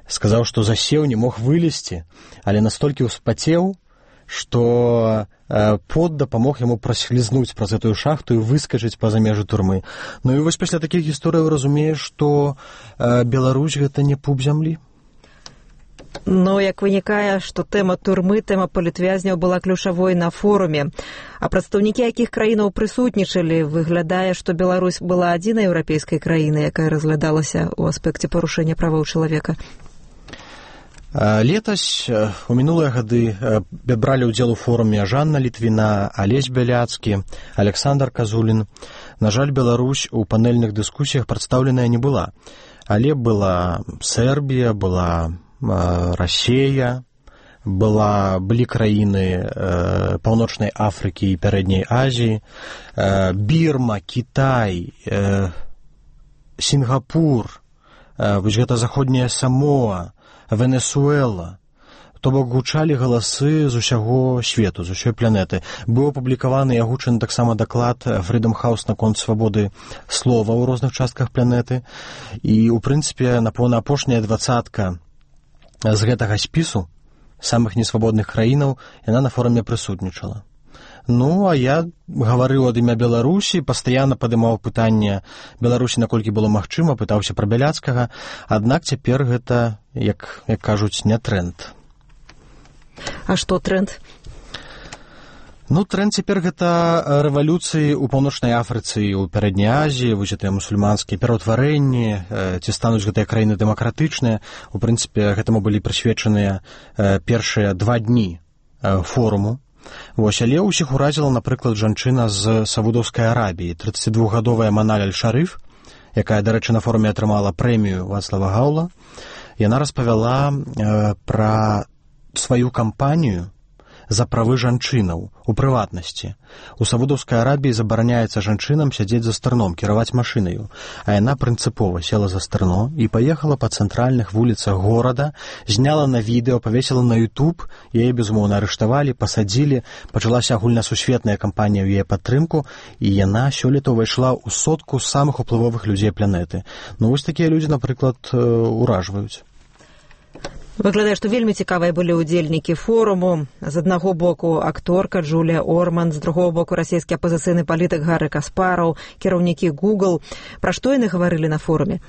сказаў, што засеў, не мог вылезці, але настолькі ўспацеў, што э, пот дапамог яму праслізнуць праз гэтую шахту і выскачыць па-за межы турмы. Ну і вось пасля такіх гісторыяў разумееш, што э, Беларусь гэта не пуп зямлі. Ну, як вынікае, што тэма турмы, тэма палітвязняў была ключавой на форуме. А прадстаўнікі якіх краінаў прысутнічалі? Выглядае, што Беларусь была адзінай еўрапейскай краінай, якая разглядалася ў аспекце парушэння правоў чалавека. Летась, у мінулыя гады, бралі ўдзел у форуме Жанна Літвіна, Алесь Бяляцкі, Александр Казулін. На жаль, Беларусь у панельных дыскусіях прадстаўленая не была. Але была Сербія, была Расія, была, былі краіны э, Паўночнай Афрыкі і Пярэдняй Азіі, э, Бірма, Кітай, э, Сінгапур, вось гэта заходняя Самоа, Венесуэла. То бок гучалі галасы з усяго свету, з усёй планеты. Быў апублікаваны і агучаны таксама даклад Freedom House наконт свабоды слова ў розных частках планеты. І, у прынцыпе, напэўна, апошняя дваццатка з гэтага спісу самых несвабодных краінаў, яна на форуме прысутнічала. Ну, а я гаварыў ад імя Беларусі, пастаянна падымаў пытанне Беларусі, наколькі было магчыма, пытаўся пра Бяляцкага, аднак цяпер гэта, як, як кажуць, не тренд. А што тренд? Ну, тренд цяпер гэта рэвалюцыі ў Паўночнай Афрыцы і ў Пярэдняй Азіі, вось гэтыя мусульманскія пераўтварэнні, ці стануць гэтыя краіны дэмакратычныя. У прынцыпе, гэтаму былі прысвечаныя першыя два дні форуму. Вось, але ўсіх уразіла, напрыклад, жанчына з Саудаўскай Арабіі, трыццацідвухгадовая Маналь Аль-Шарыф, якая, дарэчы, на форуме атрымала прэмію Вацлава Гаўла. Яна распавяла э, пра сваю кампанію за правы жанчынаў у прыватнасці. У Саудаўскай Арабіі забараняецца жанчынам сядзець за стырном, кіраваць машынаю, а яна прынцыпова села за стырно і паехала па цэнтральных вуліцах горада, зняла на відэо, павесіла на YouTube, яе, безумоўна, арыштавалі, пасадзілі, пачалася агульнасусветная кампанія ў яе падтрымку, і яна сёлета ўвайшла ў сотку самых уплывовых людзей планеты. Ну, вось такія людзі, напрыклад, уражваюць. Выглядае, што вельмі цікавыя былі ўдзельнікі форуму. З аднаго боку акторка Джулія Орман, з другого боку расійскі апазіцыйны палітык Гары Каспараў, кіраўнікі Google. Пра што яны гаварылі на форуме?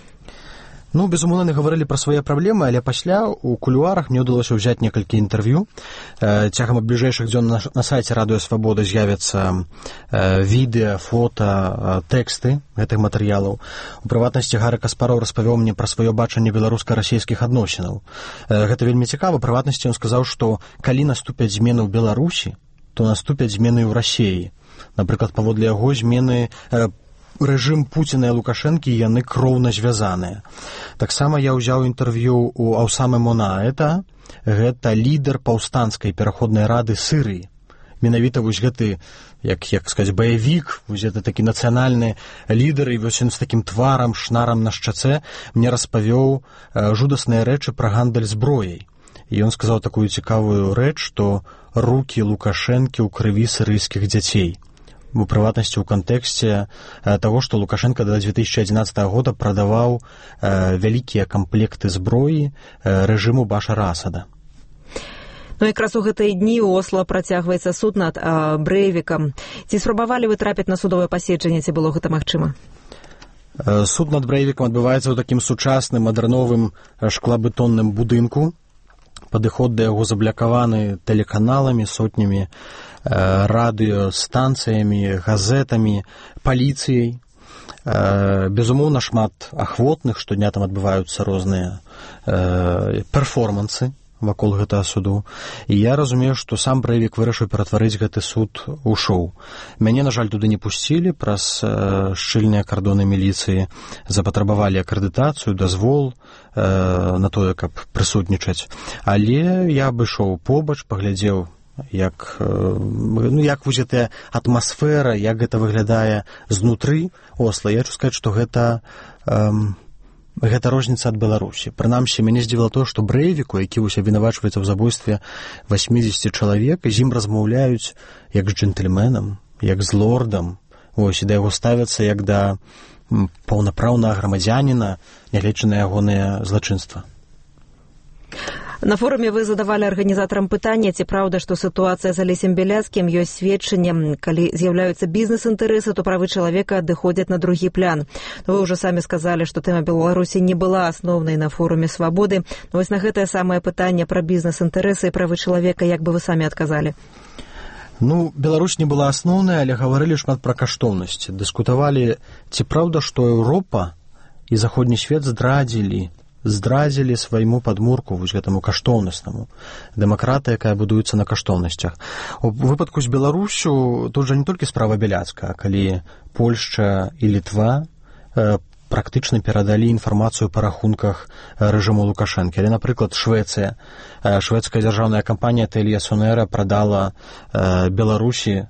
Ну, безумоўна, гаварылі пра свае праблемы, але пасля у кулуарах мне ўдалося ўзяць некалькі інтэрв'ю. Цягам бліжэйшых дзён на, на сайце Радыё Свабода з'явяцца відэа, фота, тэксты гэтых матэрыялаў. У прыватнасці Гары Каспараў распавёў мне пра сваё бачанне беларуска-расійскіх адносінаў. Гэта вельмі цікава. У прыватнасці ён сказаў, што калі наступяць змены ў Беларусі, то наступяць змены ў Расіі. Напрыклад, паводле яго змены рэжым Пуціна і Лукашэнкі, яны кроўна звязаныя. Таксама я ўзяў інтэрв'ю у Аўсамы Монаэта, гэта лідар паўстанцкай пераходнай рады Сырыі. Менавіта вось гэты, як, як сказаць, баявік, вось гэта такі нацыянальны лідар, і вось ён з такім тварам, шнарам на шчацэ мне распавёў жудасныя рэчы пра гандаль зброяй. І ён сказаў такую цікавую рэч, што рукі Лукашэнкі ў крыві сырыйскіх дзяцей. У прыватнасці ў кантэксце таго, што Лукашенко да две тысячи адзінаццатага года прадаваў э, вялікія камплекты зброі э, рэжыму Башара Асада. Ну, якраз у гэтыя дні ў Осла працягваецца суд над э, Брэйвікам. Ці спрабавалі вы трапіць на судовае паседжанне, ці было гэта магчыма? Э, суд над Брэйвікам адбываецца ў такім сучасным мадэрновым шклабетонным будынку. Падыход да яго заблякаваны тэлеканаламі, сотнямі радыёстанцыямі, газетамі, паліцыяй. Безумоўна, шмат ахвотных, штодня там адбываюцца розныя перформансы вакол гэтага суду. І я разумею, што сам Брэйвік вырашыў ператварыць гэты суд у шоу. Мяне, на жаль, туды не пусцілі, праз шчыльныя кардоны міліцыі запатрабавалі акрэдытацыю, дазвол на тое, каб прысутнічаць. Але я абышоў побач, паглядзеў, як, ну, як вось гэтая атмасфера, як гэта выглядае знутры Осла. Я хочу сказаць, што гэта эм, гэта розніца ад Беларусі. Прынамсі, мяне здзівіла тое, што Брэйвіку, які вось абвінавачваецца ў забойстве васьмідзесяці чалавек, з ім размаўляюць як з джентльменам, як з лордам. Вось, і да яго ставяцца як да паўнапраўнага грамадзяніна, нягледзячы на ягоныя злачынства. На форуме вы задавалі арганізатарам пытання, ці праўда, што сітуацыя з Алесем Бяляцкім ёсць сведчаннем, калі з'яўляюцца бізнес-інтарэсы, то правы чалавека адыходзяць на другі план. Вы ўжо самі сказалі, што тэма Беларусі не была асноўнай на форуме свабоды. Но вось на гэтае самае пытанне пра бізнес-інтарэсы і правы чалавека, як бы вы самі адказалі? Ну, Беларусь не была асноўнай, але гаварылі шмат пра каштоўнасці. Дыскутавалі, ці праўда, што Еўропа і заходні свет здрадзілі здрадзілі свайму падмурку, вось гэтаму каштоўнаснаму. Дэмакратыя, якая будуецца на каштоўнасцях. У выпадку з Беларусю тут жа не толькі справа Бяляцкага, калі Польшча і Літва э, практычна перадалі інфармацыю па рахунках рэжыму Лукашэнкі. Але, напрыклад, Швецыя. Э, шведская дзяржаўная кампанія Тэлія Сонера прадала э, Беларусі э,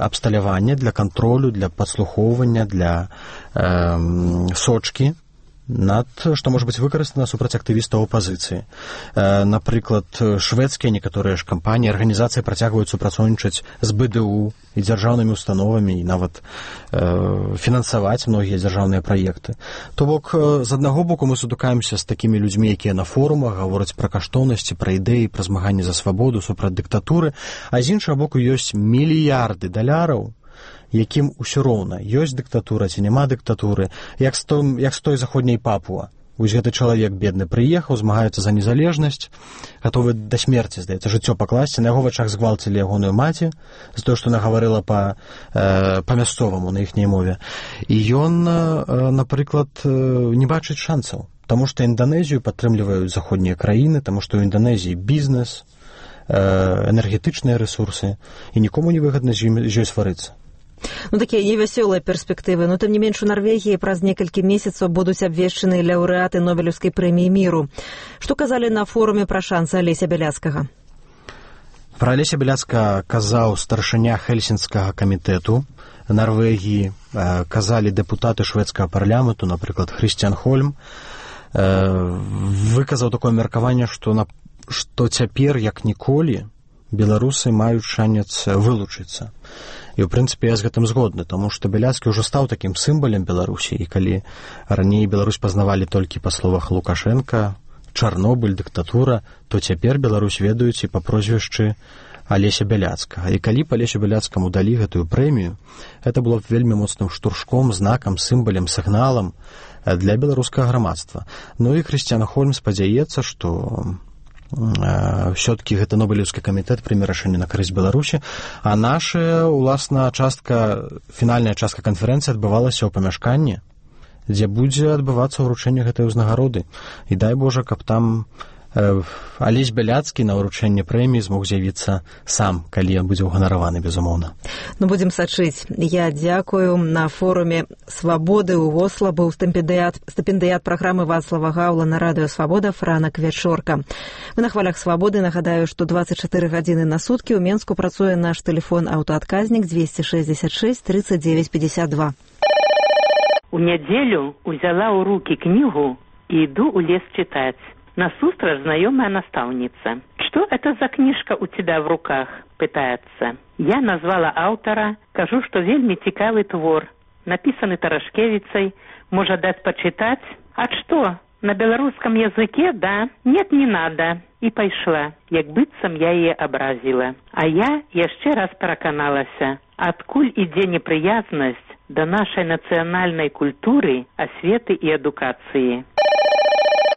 абсталяванне для кантролю, для падслухоўвання, для э, сочкі над, што можа быць выкарыстана супраць актывістаў апазіцыі. Напрыклад, шведскія некаторыя ж кампаніі, арганізацыі працягваюць супрацоўнічаць з бэ дэ у і дзяржаўнымі установамі і нават э, фінансаваць многія дзяржаўныя праекты. То бок, з аднаго боку мы сутыкаемся з такімі людзьмі, якія на форумах гавораць пра каштоўнасці, пра ідэі, пра змаганне за свабоду, супраць дыктатуры, а з іншага боку ёсць мільярды даляраў, якім усё роўна, ёсць дыктатура ці няма дыктатуры, як з той, як з той заходняй Папуа. Вось гэты чалавек бедны прыехаў, змагаецца за незалежнасць, гатовы да смерці, здаецца, жыццё пакласці, на яго вачах згвалцілі ягоную маці за тое, што яна гаварыла па, э, па-мясцоваму на іхняй мове. І ён, э, напрыклад, э, не бачыць шансаў, таму што Інданезію падтрымліваюць заходнія краіны, таму што ў Інданезіі бізнес, э, энергетычныя рэсурсы, і нікому не выгадна з ёй сварыцца. Ну, такія невясёлыя перспектывы, но тым не менш у Нарвегіі праз некалькі месяцаў будуць абвешчаны лаўрэаты Нобелеўскай прэміі міру. Што казалі на форуме пра шансы Алеся Бяляцкага? Пра Алеся Бяляцкага казаў старшыня Хельсінскага камітэту Нарвегіі, казалі дэпутаты шведскага парламенту, напрыклад, Хрысціян Хольм, выказаў такое меркаванне, што, на, што цяпер, як ніколі, беларусы маюць шанец вылучыцца. І, ў прынцыпе, я з гэтым згодны, таму што Бяляцкі ўжо стаў такім сімвалем Беларусі, і калі раней Беларусь пазнавалі толькі па словах Лукашенка, Чарнобыль, дыктатура, то цяпер Беларусь ведаюць і па прозвішчы Алеся Бяляцкага. І калі б Алесю Бяляцкаму далі гэтую прэмію, гэта было б вельмі моцным штуршком, знакам, сімвалем, сігналам для беларускага грамадства. Ну і Хрысціян Хольм спадзяецца, што все-таки гэта Нобелеўскі камітэт прыме рашэнне на карысць Беларусі, а наша, уласна, частка, фінальная частка канферэнцыі адбывалася ў памяшканні, дзе будзе адбывацца ўручэнне гэтай узнагароды. І дай Божа, каб там э, Алесь Бяляцкі на ўручэнне прэміі змог з'явіцца сам, калі ён будзе ўганараваны, безумоўна. Ну, будзем сачыць. Я дзякую. На форуме «Свабоды» ў Осла быў стыпендыят, стыпендыят праграмы Вацлава Гаўла на радыё «Свабода» Франак Вячорка. Мы на хвалях «Свабоды». Нагадаю, што дваццаць чатыры гадзіны на суткі ў Менску працуе наш тэлефон аўтаадказнік двести шестьдесят шесть тридцать девять пятьдесят два. У нядзелю узяла ў рукі кнігу і іду ў лес чытаць. Насустрач знакомая наставница. «Что это за книжка у тебя в руках?» – пытается. Я назвала автора, кажу, что вельми цікавый твор, написанный Тарашкевицей, можно дать почитать. А что, на белорусском языке, да? Нет, не надо. И пошла, як быццам я ее образила. А я еще раз пераканалася, откуль ідзе неприязнность до нашей национальной культуры, осветы и эдукации.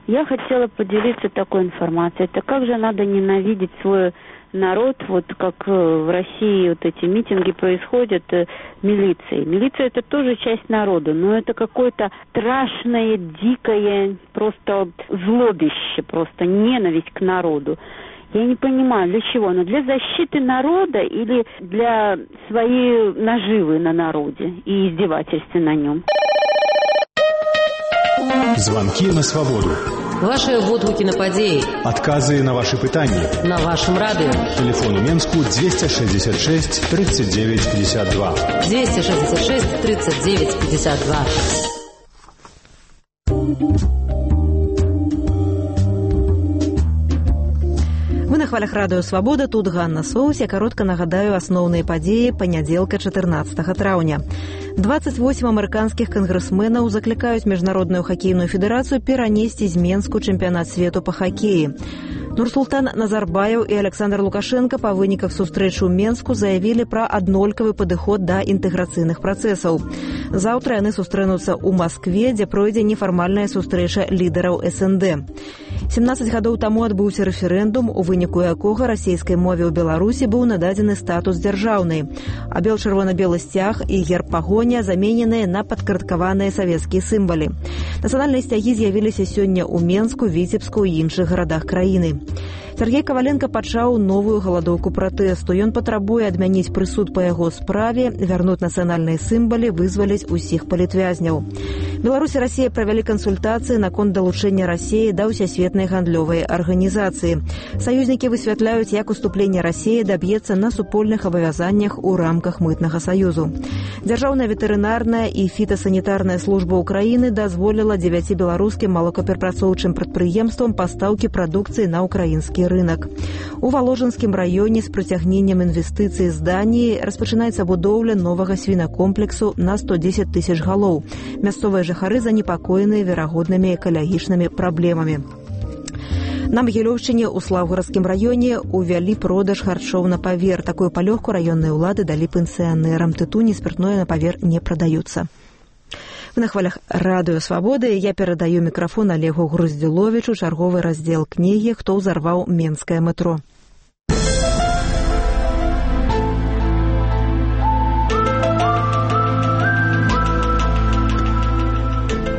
Я хотела поделиться такой информацией. Это как же надо ненавидеть свой народ, вот как в России вот эти митинги происходят э, милицией. Милиция это тоже часть народа, но это какое-то страшное, дикое, просто злобище, просто ненависть к народу. Я не понимаю, для чего? Но для защиты народа или для своей наживы на народе и издевательства на нем? Звонки на свободу. Ваши водгуки на падеи. Отказы на ваши пытания. На вашем радио. Телефон у Менску двести шестьдесят шесть тридцать девять пятьдесят два. двести шестьдесят шесть тридцать девять пятьдесят два. Вы на хвалях радыё «Свабода», тут Ганна Соус. Я каротка нагадаю асноўныя падзеі панядзелка чатырнаццатага траўня. двадцать восемь амерыканскіх кангрэсменаў заклікаюць міжнародную хакейную федэрацыю перанесці з Менску чэмпіянат свету па хакеі. Нурсултан Назарбаев і Александр Лукашенко па выніках сустрэчы ў Менску заявілі пра аднолькавы падыход да інтэграцыйных працэсаў. Заўтра яны сустрэнуцца ў Маскве, дзе пройдзе нефармальная сустрэча лідараў эс эн дэ. семнадцаць гадоў таму адбыўся рэферэндум, у выніку якога расійскай мове ў Беларусі быў нададзены статус дзяржаўнай, а бел-чырвона-белы сцяг і герб пагоня замененыя на падкарадкаваныя савецкія сімвалы. Нацыянальныя сцягі з'явіліся сёння ў Менску, Віцебску і іншых гарадах краіны. Сергей Каваленко пачаў новую галадоўку пратэсту. Ён патрабуе адмяніць прысуд па яго справе, вярнуць нацыянальныя сімвалы, вызваліць усіх палітвязняў. Беларусь і Расія правялі кансультацыі наконт далучэння Расіі да ўсясветнай гандлёвай арганізацыі. Саюзнікі высвятляюць, як уступленне Расіі даб'ецца на супольных абавязаннях у рамках мытнага саюзу. Дзяржаўная ветэрынарная і фітасанітарная служба ўкраіны дазволіла дзевяці беларускім малокаперапрацоўчым прадпрыемствам пастаўкі прадукцыі на ўкраінскі рынак. У Валожынскім раёне з прыцягненнем інвестыцый з Даніі распачынаецца будоўля новага свінакомплексу на сто дзесяць тысяч галоў. Мясцовыя жыхары занепакоеныя верагоднымі экалагічнымі праблемамі. На Магілёўшчыне ў Слаўгарадскім раёне увялі продаж харчоў на павер. Такую палёгку раённыя ўлады далі пенсіянерам. Тытунь і спиртное на павер не прадаюцца. Вы на хвалях радыё Свабоды. Я перадаю мікрафон Олегу Груздзіловічу, чарговы раздзел кнігі «Хто ўзарваў менскае метро».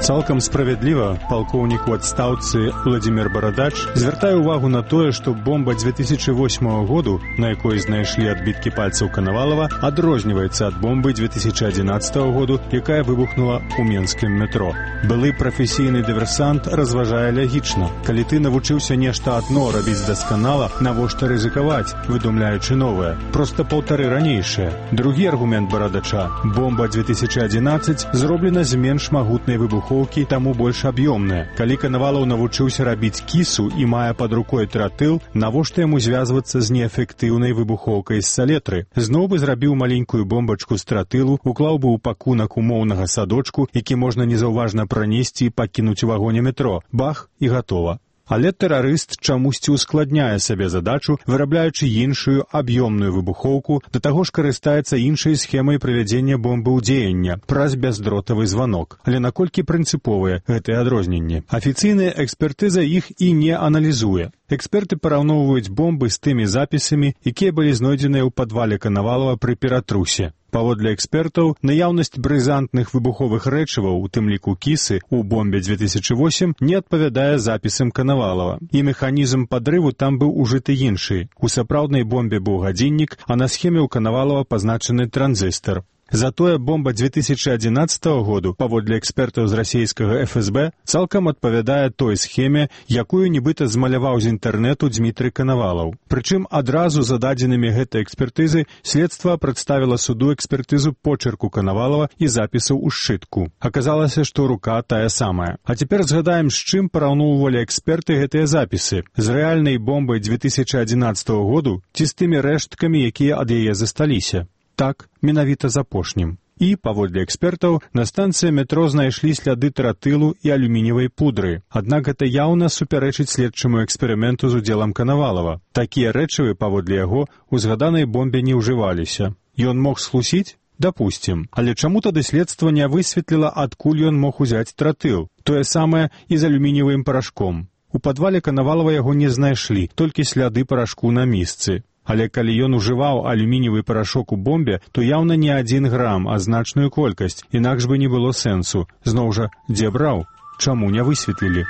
Цалкам справядліва палкоўнік у адстаўцы Владзімір Барадач звяртае ўвагу на тое, што бомба дзве тысячы восьмага году, на якой знайшлі адбіткі пальцаў Канавалава, адрозніваецца ад бомбы дзве тысячы адзінаццатага году, якая выбухнула ў менскім метро. Былы прафесійны дыверсант разважае лягічна. Калі ты навучыўся нешта адно рабіць дасканала, навошта рызыкаваць, выдумляючы новае? Проста паўтары ранейшае. Другі аргумент Барадача – бомба дзве тысячы адзінаццаць зроблена з менш магутнай выбухоўкі, таму больш аб'ёмная. Калі Канавалаў навучыўся рабіць кісу і мае пад рукой тротыл, навошта яму звязвацца з неэфектыўнай выбухоўкай з салетры? Зноў бы зрабіў маленькую бомбачку з тротылу, уклаў бы ў пакунак умоўнага садочку, які можна незаўважна пранесці і пакінуць у вагоне метро. Бах, і гатова. Але тэрарыст чамусьці ускладняе сабе задачу, вырабляючы іншую аб'ёмную выбухоўку, да таго ж карыстаецца іншай схемай правядзення бомбы ў дзеяння праз бяздротавы званок. Але наколькі прынцыповыя гэтыя адрозненні? Афіцыйная экспертыза іх і не аналізуе. Эксперты параўноўваюць бомбы з тымі запісамі, якія былі знойдзеныя ў падвале Канавалава пры Ператрусе. Паводле экспертаў, наяўнасць брызантных выбуховых рэчываў, у тым ліку кісы, у бомбе дзве тысячы восьмым не адпавядае запісам Канавалава. І механізм падрыву там быў ужыты іншы. У сапраўднай бомбе быў гадзіннік, а на схеме ў Канавалава пазначаны транзістар. Затое бомба дзве тысячы адзінаццатага году, паводле экспертаў з расійскага эф эс бэ, цалкам адпавядае той схеме, якую нібыта змаляваў з інтэрнэту Дзмітрый Канавалаў. Прычым адразу за дадзенымі гэтай экспертызы следства прадставіла суду экспертызу почерку Канавалава і запісаў у сшытку. Аказалася, што рука тая самая. А цяпер згадаем, з чым параўноўвалі эксперты гэтыя запісы. З рэальнай бомбай дзве тысячы адзінаццатага году ці з тымі рэшткамі, якія ад яе засталіся? Так, менавіта з апошнім. І, паводле экспертаў, на станцыі метро знайшлі сляды тротылу і алюмініевай пудры. Аднак гэта яўна супярэчыць следчаму эксперыменту з удзелам Канавалава. Такія рэчывы, паводле яго, у згаданай бомбе не ўжываліся. Ён мог схлусіць? Дапусцім. Але чаму тады следства не высветліла, адкуль ён мог узяць тротыл? Тое самае і з алюмініевым парашком. У падвале Канавалава яго не знайшлі, толькі сляды парашку на місцы. Але калі ён ужываў алюмініевы парашок у бомбе, то яўна не адзін грам, а значную колькасць, інакш бы не было сэнсу. Зноў жа, дзе браў? Чаму не высветлілі?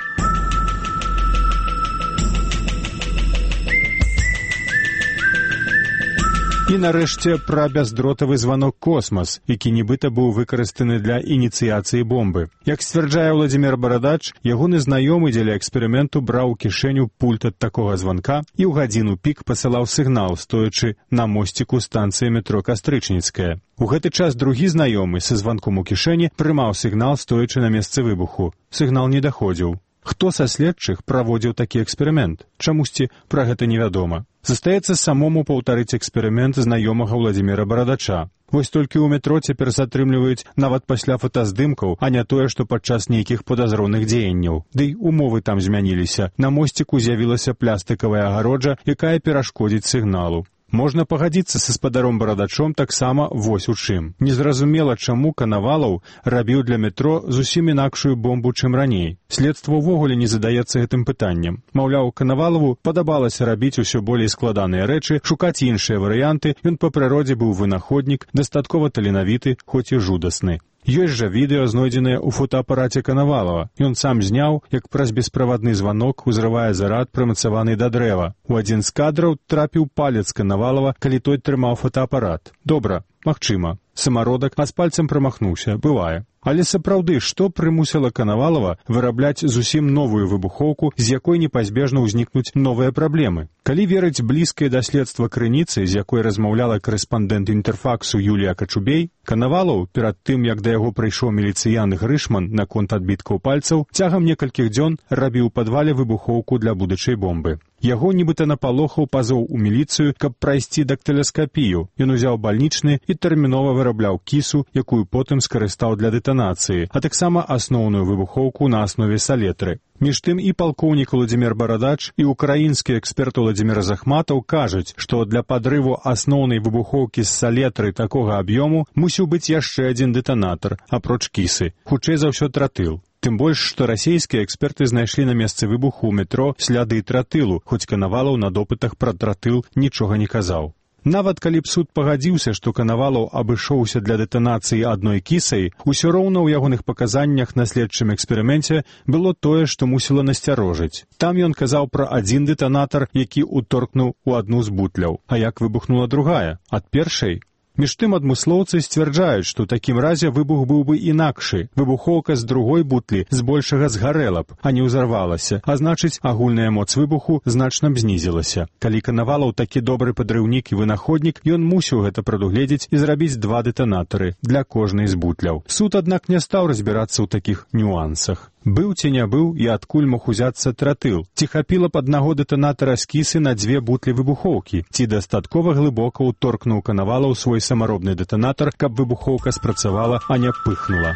І нарэшце пра бяздротавы званок «Космас», які нібыта быў выкарыстаны для ініцыяцыі бомбы. Як сцвярджае Владзімір Барадач, ягоны знаёмы дзеля эксперыменту браў у кішэню пульт ад такога званка і ў гадзіну пік пасылаў сігнал, стоячы на мосціку станцыі метро Кастрычніцкая. У гэты час другі знаёмы са званком у кішэні прымаў сігнал, стоячы на месцы выбуху. Сігнал не даходзіў. Хто са следчых праводзіў такі эксперымент? Чамусьці пра гэта невядома. Застаецца самому паўтарыць эксперымент знаёмага Владзіміра Барадача. Вось толькі ў метро цяпер затрымліваюць нават пасля фотаздымкаў, а не тое, што падчас нейкіх падазроных дзеянняў. Дый умовы там змяніліся. На мосціку з'явілася плястыкавая агароджа, якая перашкодзіць сігналу. Можна пагадзіцца са спадаром Барадачом таксама вось у чым. Незразумела, чаму Канавалаў рабіў для метро зусім інакшую бомбу, чым раней. Следства ўвогуле не задаецца гэтым пытаннем. Маўляў, Канавалаву падабалася рабіць усё болей складаныя рэчы, шукаць іншыя варыянты, ён па прыродзе быў вынаходнік, дастаткова таленавіты, хоць і жудасны. Ёсць жа відэа, знойдзенае ў фотоапараце Канавалава. Ён сам зняў, як праз бесправадны званок узрывае зарад, прымацаваны да дрэва. У адзін з кадраў трапіў палец Канавалава, калі той трымаў фотоапарат. Добра, магчыма. Самародак, а з пальцем прамахнуўся. Бывае. Але сапраўды, што прымусіла Канавалава вырабляць зусім новую выбухоўку, з якой непазбежна ўзнікнуць новыя праблемы? Калі верыць блізкай да следства крыніцы, з якой размаўляла корэспандэнт інтэрфаксу Юлія Качубей, Канавалаў, перад тым, як да яго прыйшоў міліцыян Грышман наконт адбіткаў пальцаў, цягам некалькіх дзён рабіў у падвале выбухоўку для будучай бомбы. Яго нібыта напалохаў пазоў у міліцыю, каб прайсці дактыласкапію. Ён узяў бальнічны і тэрмінова вырабляў кісу, якую потым скарыстаў для дэтанацыі, а таксама асноўную выбухоўку на аснове салетры. Між тым і палкоўнік Владзімір Барадач, і украінскі эксперт Владзімір Захматаў кажуць, што для падрыву асноўнай выбухоўкі з салетры такога аб'ёму мусіў быць яшчэ адзін дэтанатар, апроч кісы, хутчэй за ўсё тротыл. Тым больш, што расійскія эксперты знайшлі на месцы выбуху ў метро сляды тротылу, хоць Канавалаў на допытах пра тротыл нічога не казаў. Нават калі б суд пагадзіўся, што Канавалаў абышоўся для дэтанацыі адной кісай, усё роўна ў ягоных паказаннях на следчым эксперыменце было тое, што мусіла насцярожыць. Там ён казаў пра адзін дэтанатар, які ўторкнуў у адну з бутляў. А як выбухнула другая? Ад першай? Між тым адмыслоўцы сцвярджаюць, што ў такім разе выбух быў бы інакшы. Выбухоўка з другой бутлі збольшага згарэла б, а не ўзарвалася, а значыць, агульная моц выбуху значна б знізілася. Калі Канавалаў такі добры падрыўнік і вынаходнік, ён мусіў гэта прадугледзець і зрабіць два дэтанатары для кожнай з бутляў. Суд, аднак, не стаў разбірацца ў такіх нюансах. Быў ці не быў і адкуль мог узяцца тротыл? Ці хапіла б аднаго дэтанатара з кісы на дзве бутлі выбухоўкі? Ці дастаткова глыбока ўторкнуў Канавалаў свой самаробны дэтанатар, каб выбухоўка спрацавала, а не пыхнула?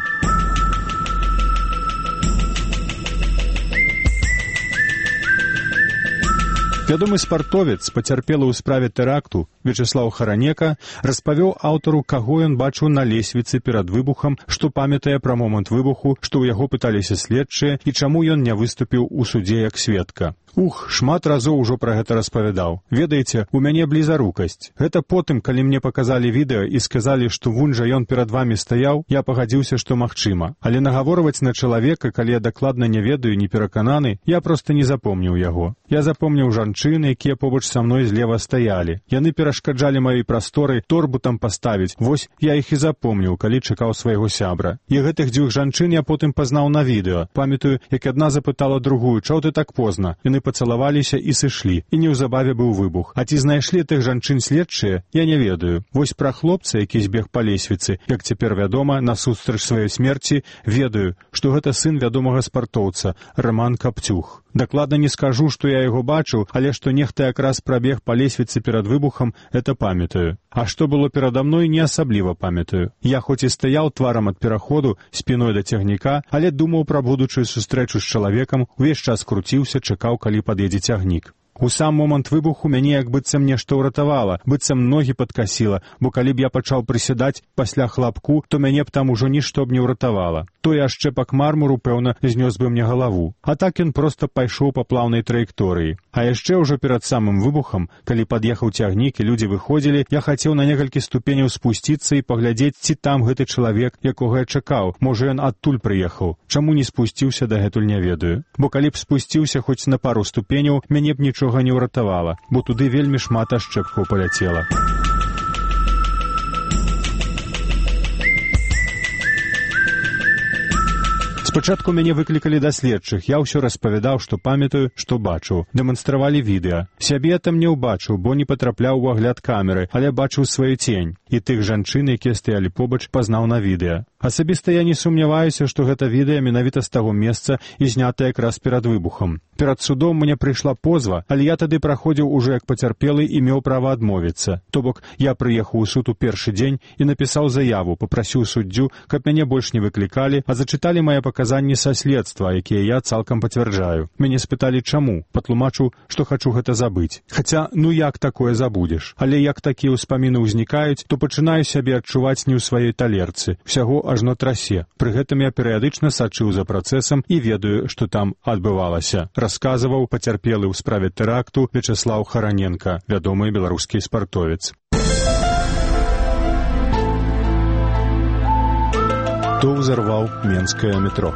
Вядомы спартовец, пацярпелы ў справе тэракту, Вячеслаў Харанека, распавёў аўтару, каго ён бачыў на лесвіцы перад выбухам, што памятае пра момант выбуху, што ў яго пыталіся следчыя і чаму ён не выступіў у судзе як сведка. Ух, шмат разоў ужо пра гэта распавядаў. Ведаеце, у мяне блізарукасць. Гэта потым, калі мне паказалі відэа і сказалі, што вунь жа ён перад вамі стаяў, я пагадзіўся, што магчыма. Але нагаворваць на чалавека, калі я дакладна не ведаю, не перакананы, я проста не запомніў яго. Я запомніў жанчыны, якія побач са мной злева стаялі. Яны перашкаджалі маёй прасторы торбу там паставіць. Вось я іх і запомніў, калі чакаў свайго сябра. І гэтых дзвюх жанчын я потым пазнаў на відэа. Памятаю, як адна запытала другую, чаго ты так позна? Яны пацалаваліся і сышлі, і неўзабаве быў выбух. А ці знайшлі тых жанчын следчыя, я не ведаю. Вось пра хлопца, які збег па лесвіцы, як цяпер вядома, насустрач сваёй смерці, ведаю, што гэта сын вядомага спартоўца, Роман Капцюх. Дакладна не скажу, што я яго бачыў, але што нехта якраз прабег па лесвіцы перад выбухам, это памятаю. А што было перада мной, не асабліва памятаю. Я хоць і стаяў тварам ад пераходу, спіной да цягніка, але думаў пра будучую сустрэчу з чалавекам, увесь час круціўся, чакаў, калі пад'едзе цягнік. У сам момант выбуху мяне як быццам нешта ўратавала, быццам ногі падкасіла, бо калі б я пачаў прысядаць пасля хлапку, то мяне б там ужо нішто б не ўратавала. Той ашчэпак мармуру, пэўна, знёс бы мне галаву. А так ён проста пайшоў па плаўнай траекторыі. А яшчэ ўжо перад самым выбухам, калі пад'ехаў цягнік і людзі выходзілі, я хацеў на некалькі ступеняў спусціцца і паглядзець, ці там гэты чалавек, якога я чакаў. Можа, ён адтуль прыехаў. Чаму не спусціўся, дагэтуль не ведаю. Бо калі б спусціўся хоць на пару ступеняў, мяне б нічога не ўратавала, бо туды вельмі шмат ашчэпкаў паляцела. Спачатку мяне выклікалі да следчых, я ўсё распавядаў, што памятаю, што бачыў. Дэманстравалі відэа. Сябе там не ўбачыў, бо не патрапляў у агляд камеры, але бачыў сваю цень. І тых жанчын, якія стаялі побач, пазнаў на відэа. Асабіста я не сумняваюся, што гэта відэа менавіта з таго месца і знята якраз перад выбухам. Перад судом мне прыйшла позва, але я тады праходзіў ужо як пацярпелы і меў права адмовіцца. То бок, я прыехаў у суд у першы дзень і напісаў заяву, папрасіў суддзю, каб мяне больш не выклікалі, а зачыталі мае паказанні са следства, якія я цалкам пацвярджаю. Мяне спыталі, чаму. Патлумачыў, што хачу гэта забыць. Хаця, ну як такое забудзеш? Але як такія ўспаміны ўзнікаюць, то пачынаю сябе адчуваць не ў сваёй талерцы. Усяго ажно трасе. Пры гэтым я перыядычна сачыў за працэсам і ведаю, што там адбывалася. Расказваў пацярпелы ў справе тэракту Вячеслаў Хараненка, вядомы беларускі спартовец. Хто ўзарваў менскае метро?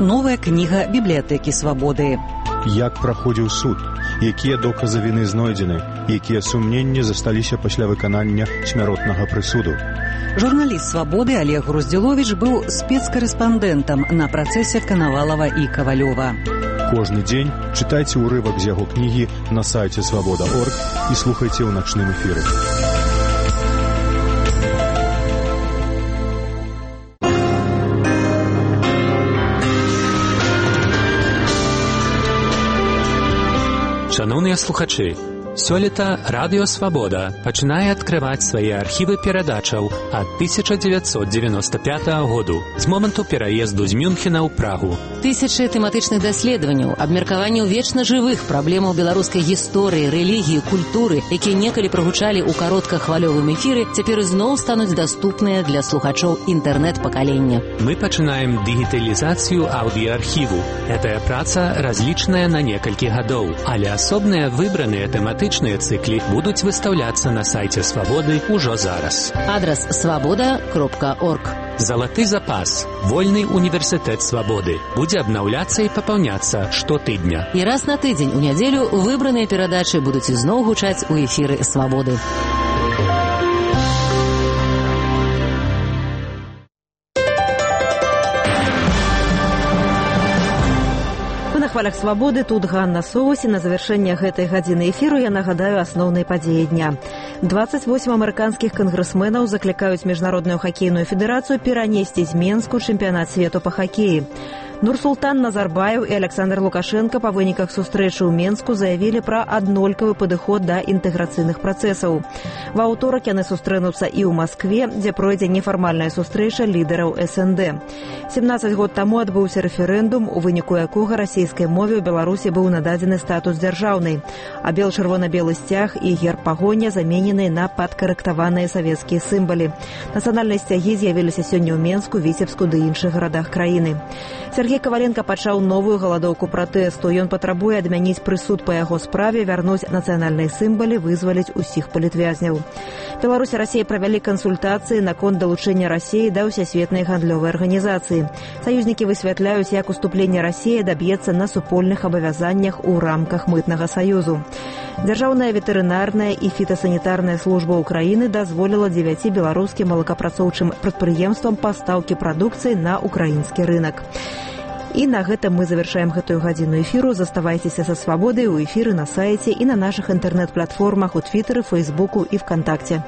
Новая кніга бібліятэкі свабоды. Як праходзіў суд? Якія доказы віны знойдзены? Якія сумненні засталіся пасля выканання смяротнага прысуду? Журналіст свабоды Олег Груздзіловіч быў спецкарэспандэнтам на працэсе Канавалава і Кавалёва. Кожны дзень чытайце ўрывак з яго кнігі на сайце свабода точка орг і слухайце ў начным эфіры. Шановныя слухачы, сёлета Радыё Свабода пачынае адкрываць свае архівы перадачаў ад тысяча дзевяцьсот дзевяноста пятага году з моманту пераезду з Мюнхена ў Прагу. Тысячы тэматычных даследаванняў, абмеркаванняў вечна жывых праблемаў беларускай гісторыі, рэлігіі, культуры, якія некалі прагучалі ў кароткахвалёвым эфіры, цяпер ізноў стануць даступныя для слухачоў інтэрнэт-пакалення. Мы пачынаем дыгіталізацыю аўдыаархіву. Гэтая праца разлічаная на некалькі гадоў, але асобныя выбраныя тэматычныя цыклі будуць выстаўляцца на сайце Свабоды ўжо зараз. Адрас свабода кропка орг. Залаты запас. Вольны універсітэт свабоды. Будзе абнаўляцца і папаўняцца штотыдня. І раз на тыдзень у нядзелю выбраныя перадачы будуць ізноў гучаць у эфіры Свабоды. На хвалях свабоды тут Ганна Соус, і на завяршэнне гэтай гадзіны эфіру я нагадаю асноўныя падзеі дня. двадцать восемь амерыканскіх кангрэсменаў заклікаюць міжнародную хакейную федэрацыю перанесці з Менску чэмпіянат свету па хакеі. Нурсултан Назарбаев і Александр Лукашенко па выніках сустрэчы ў Менску заявілі пра аднолькавы падыход да інтэграцыйных працэсаў. Ва ўторак яны сустрэнуцца і ў Маскве, дзе пройдзе нефармальная сустрэча лідараў эс эн дэ. семнаццаць год таму адбыўся рэферэндум, у выніку якога расійскай мове ў Беларусі быў нададзены статус дзяржаўнай, а бел-чырвона-белы сцяг і герб пагоня замененыя на падкарэктаваныя савецкія сімвалы. Нацыянальныя сцягі з'явіліся сёння ў Менску, Віцебску ды іншых гарадах краіны. Сергей Каваленко пачаў новую галадоўку пратэсту. Ён патрабуе адмяніць прысуд па яго справе, вярнуць нацыянальныя сімвалы, вызваліць усіх палітвязняў. Беларусь і Расія правялі кансультацыі наконт далучэння Расіі да ўсясветнай гандлёвай арганізацыі. Саюзнікі высвятляюць, як уступленне Расіі даб'ецца на супольных абавязаннях у рамках мытнага саюзу. Дзяржаўная ветэрынарная і фітасанітарная служба Украіны дазволіла дзевяці беларускім малакапрацоўчым прадпрыемствам пастаўкі прадукцыі на украінскі рынак. І на гэтым мы завяршаем гэтую гадзіну эфіру. Заставайцеся са свабодай у эфіры на сайце і на нашых інтэрнэт-платформах у Твітэры, Фэйсбуку і ВКонтакце.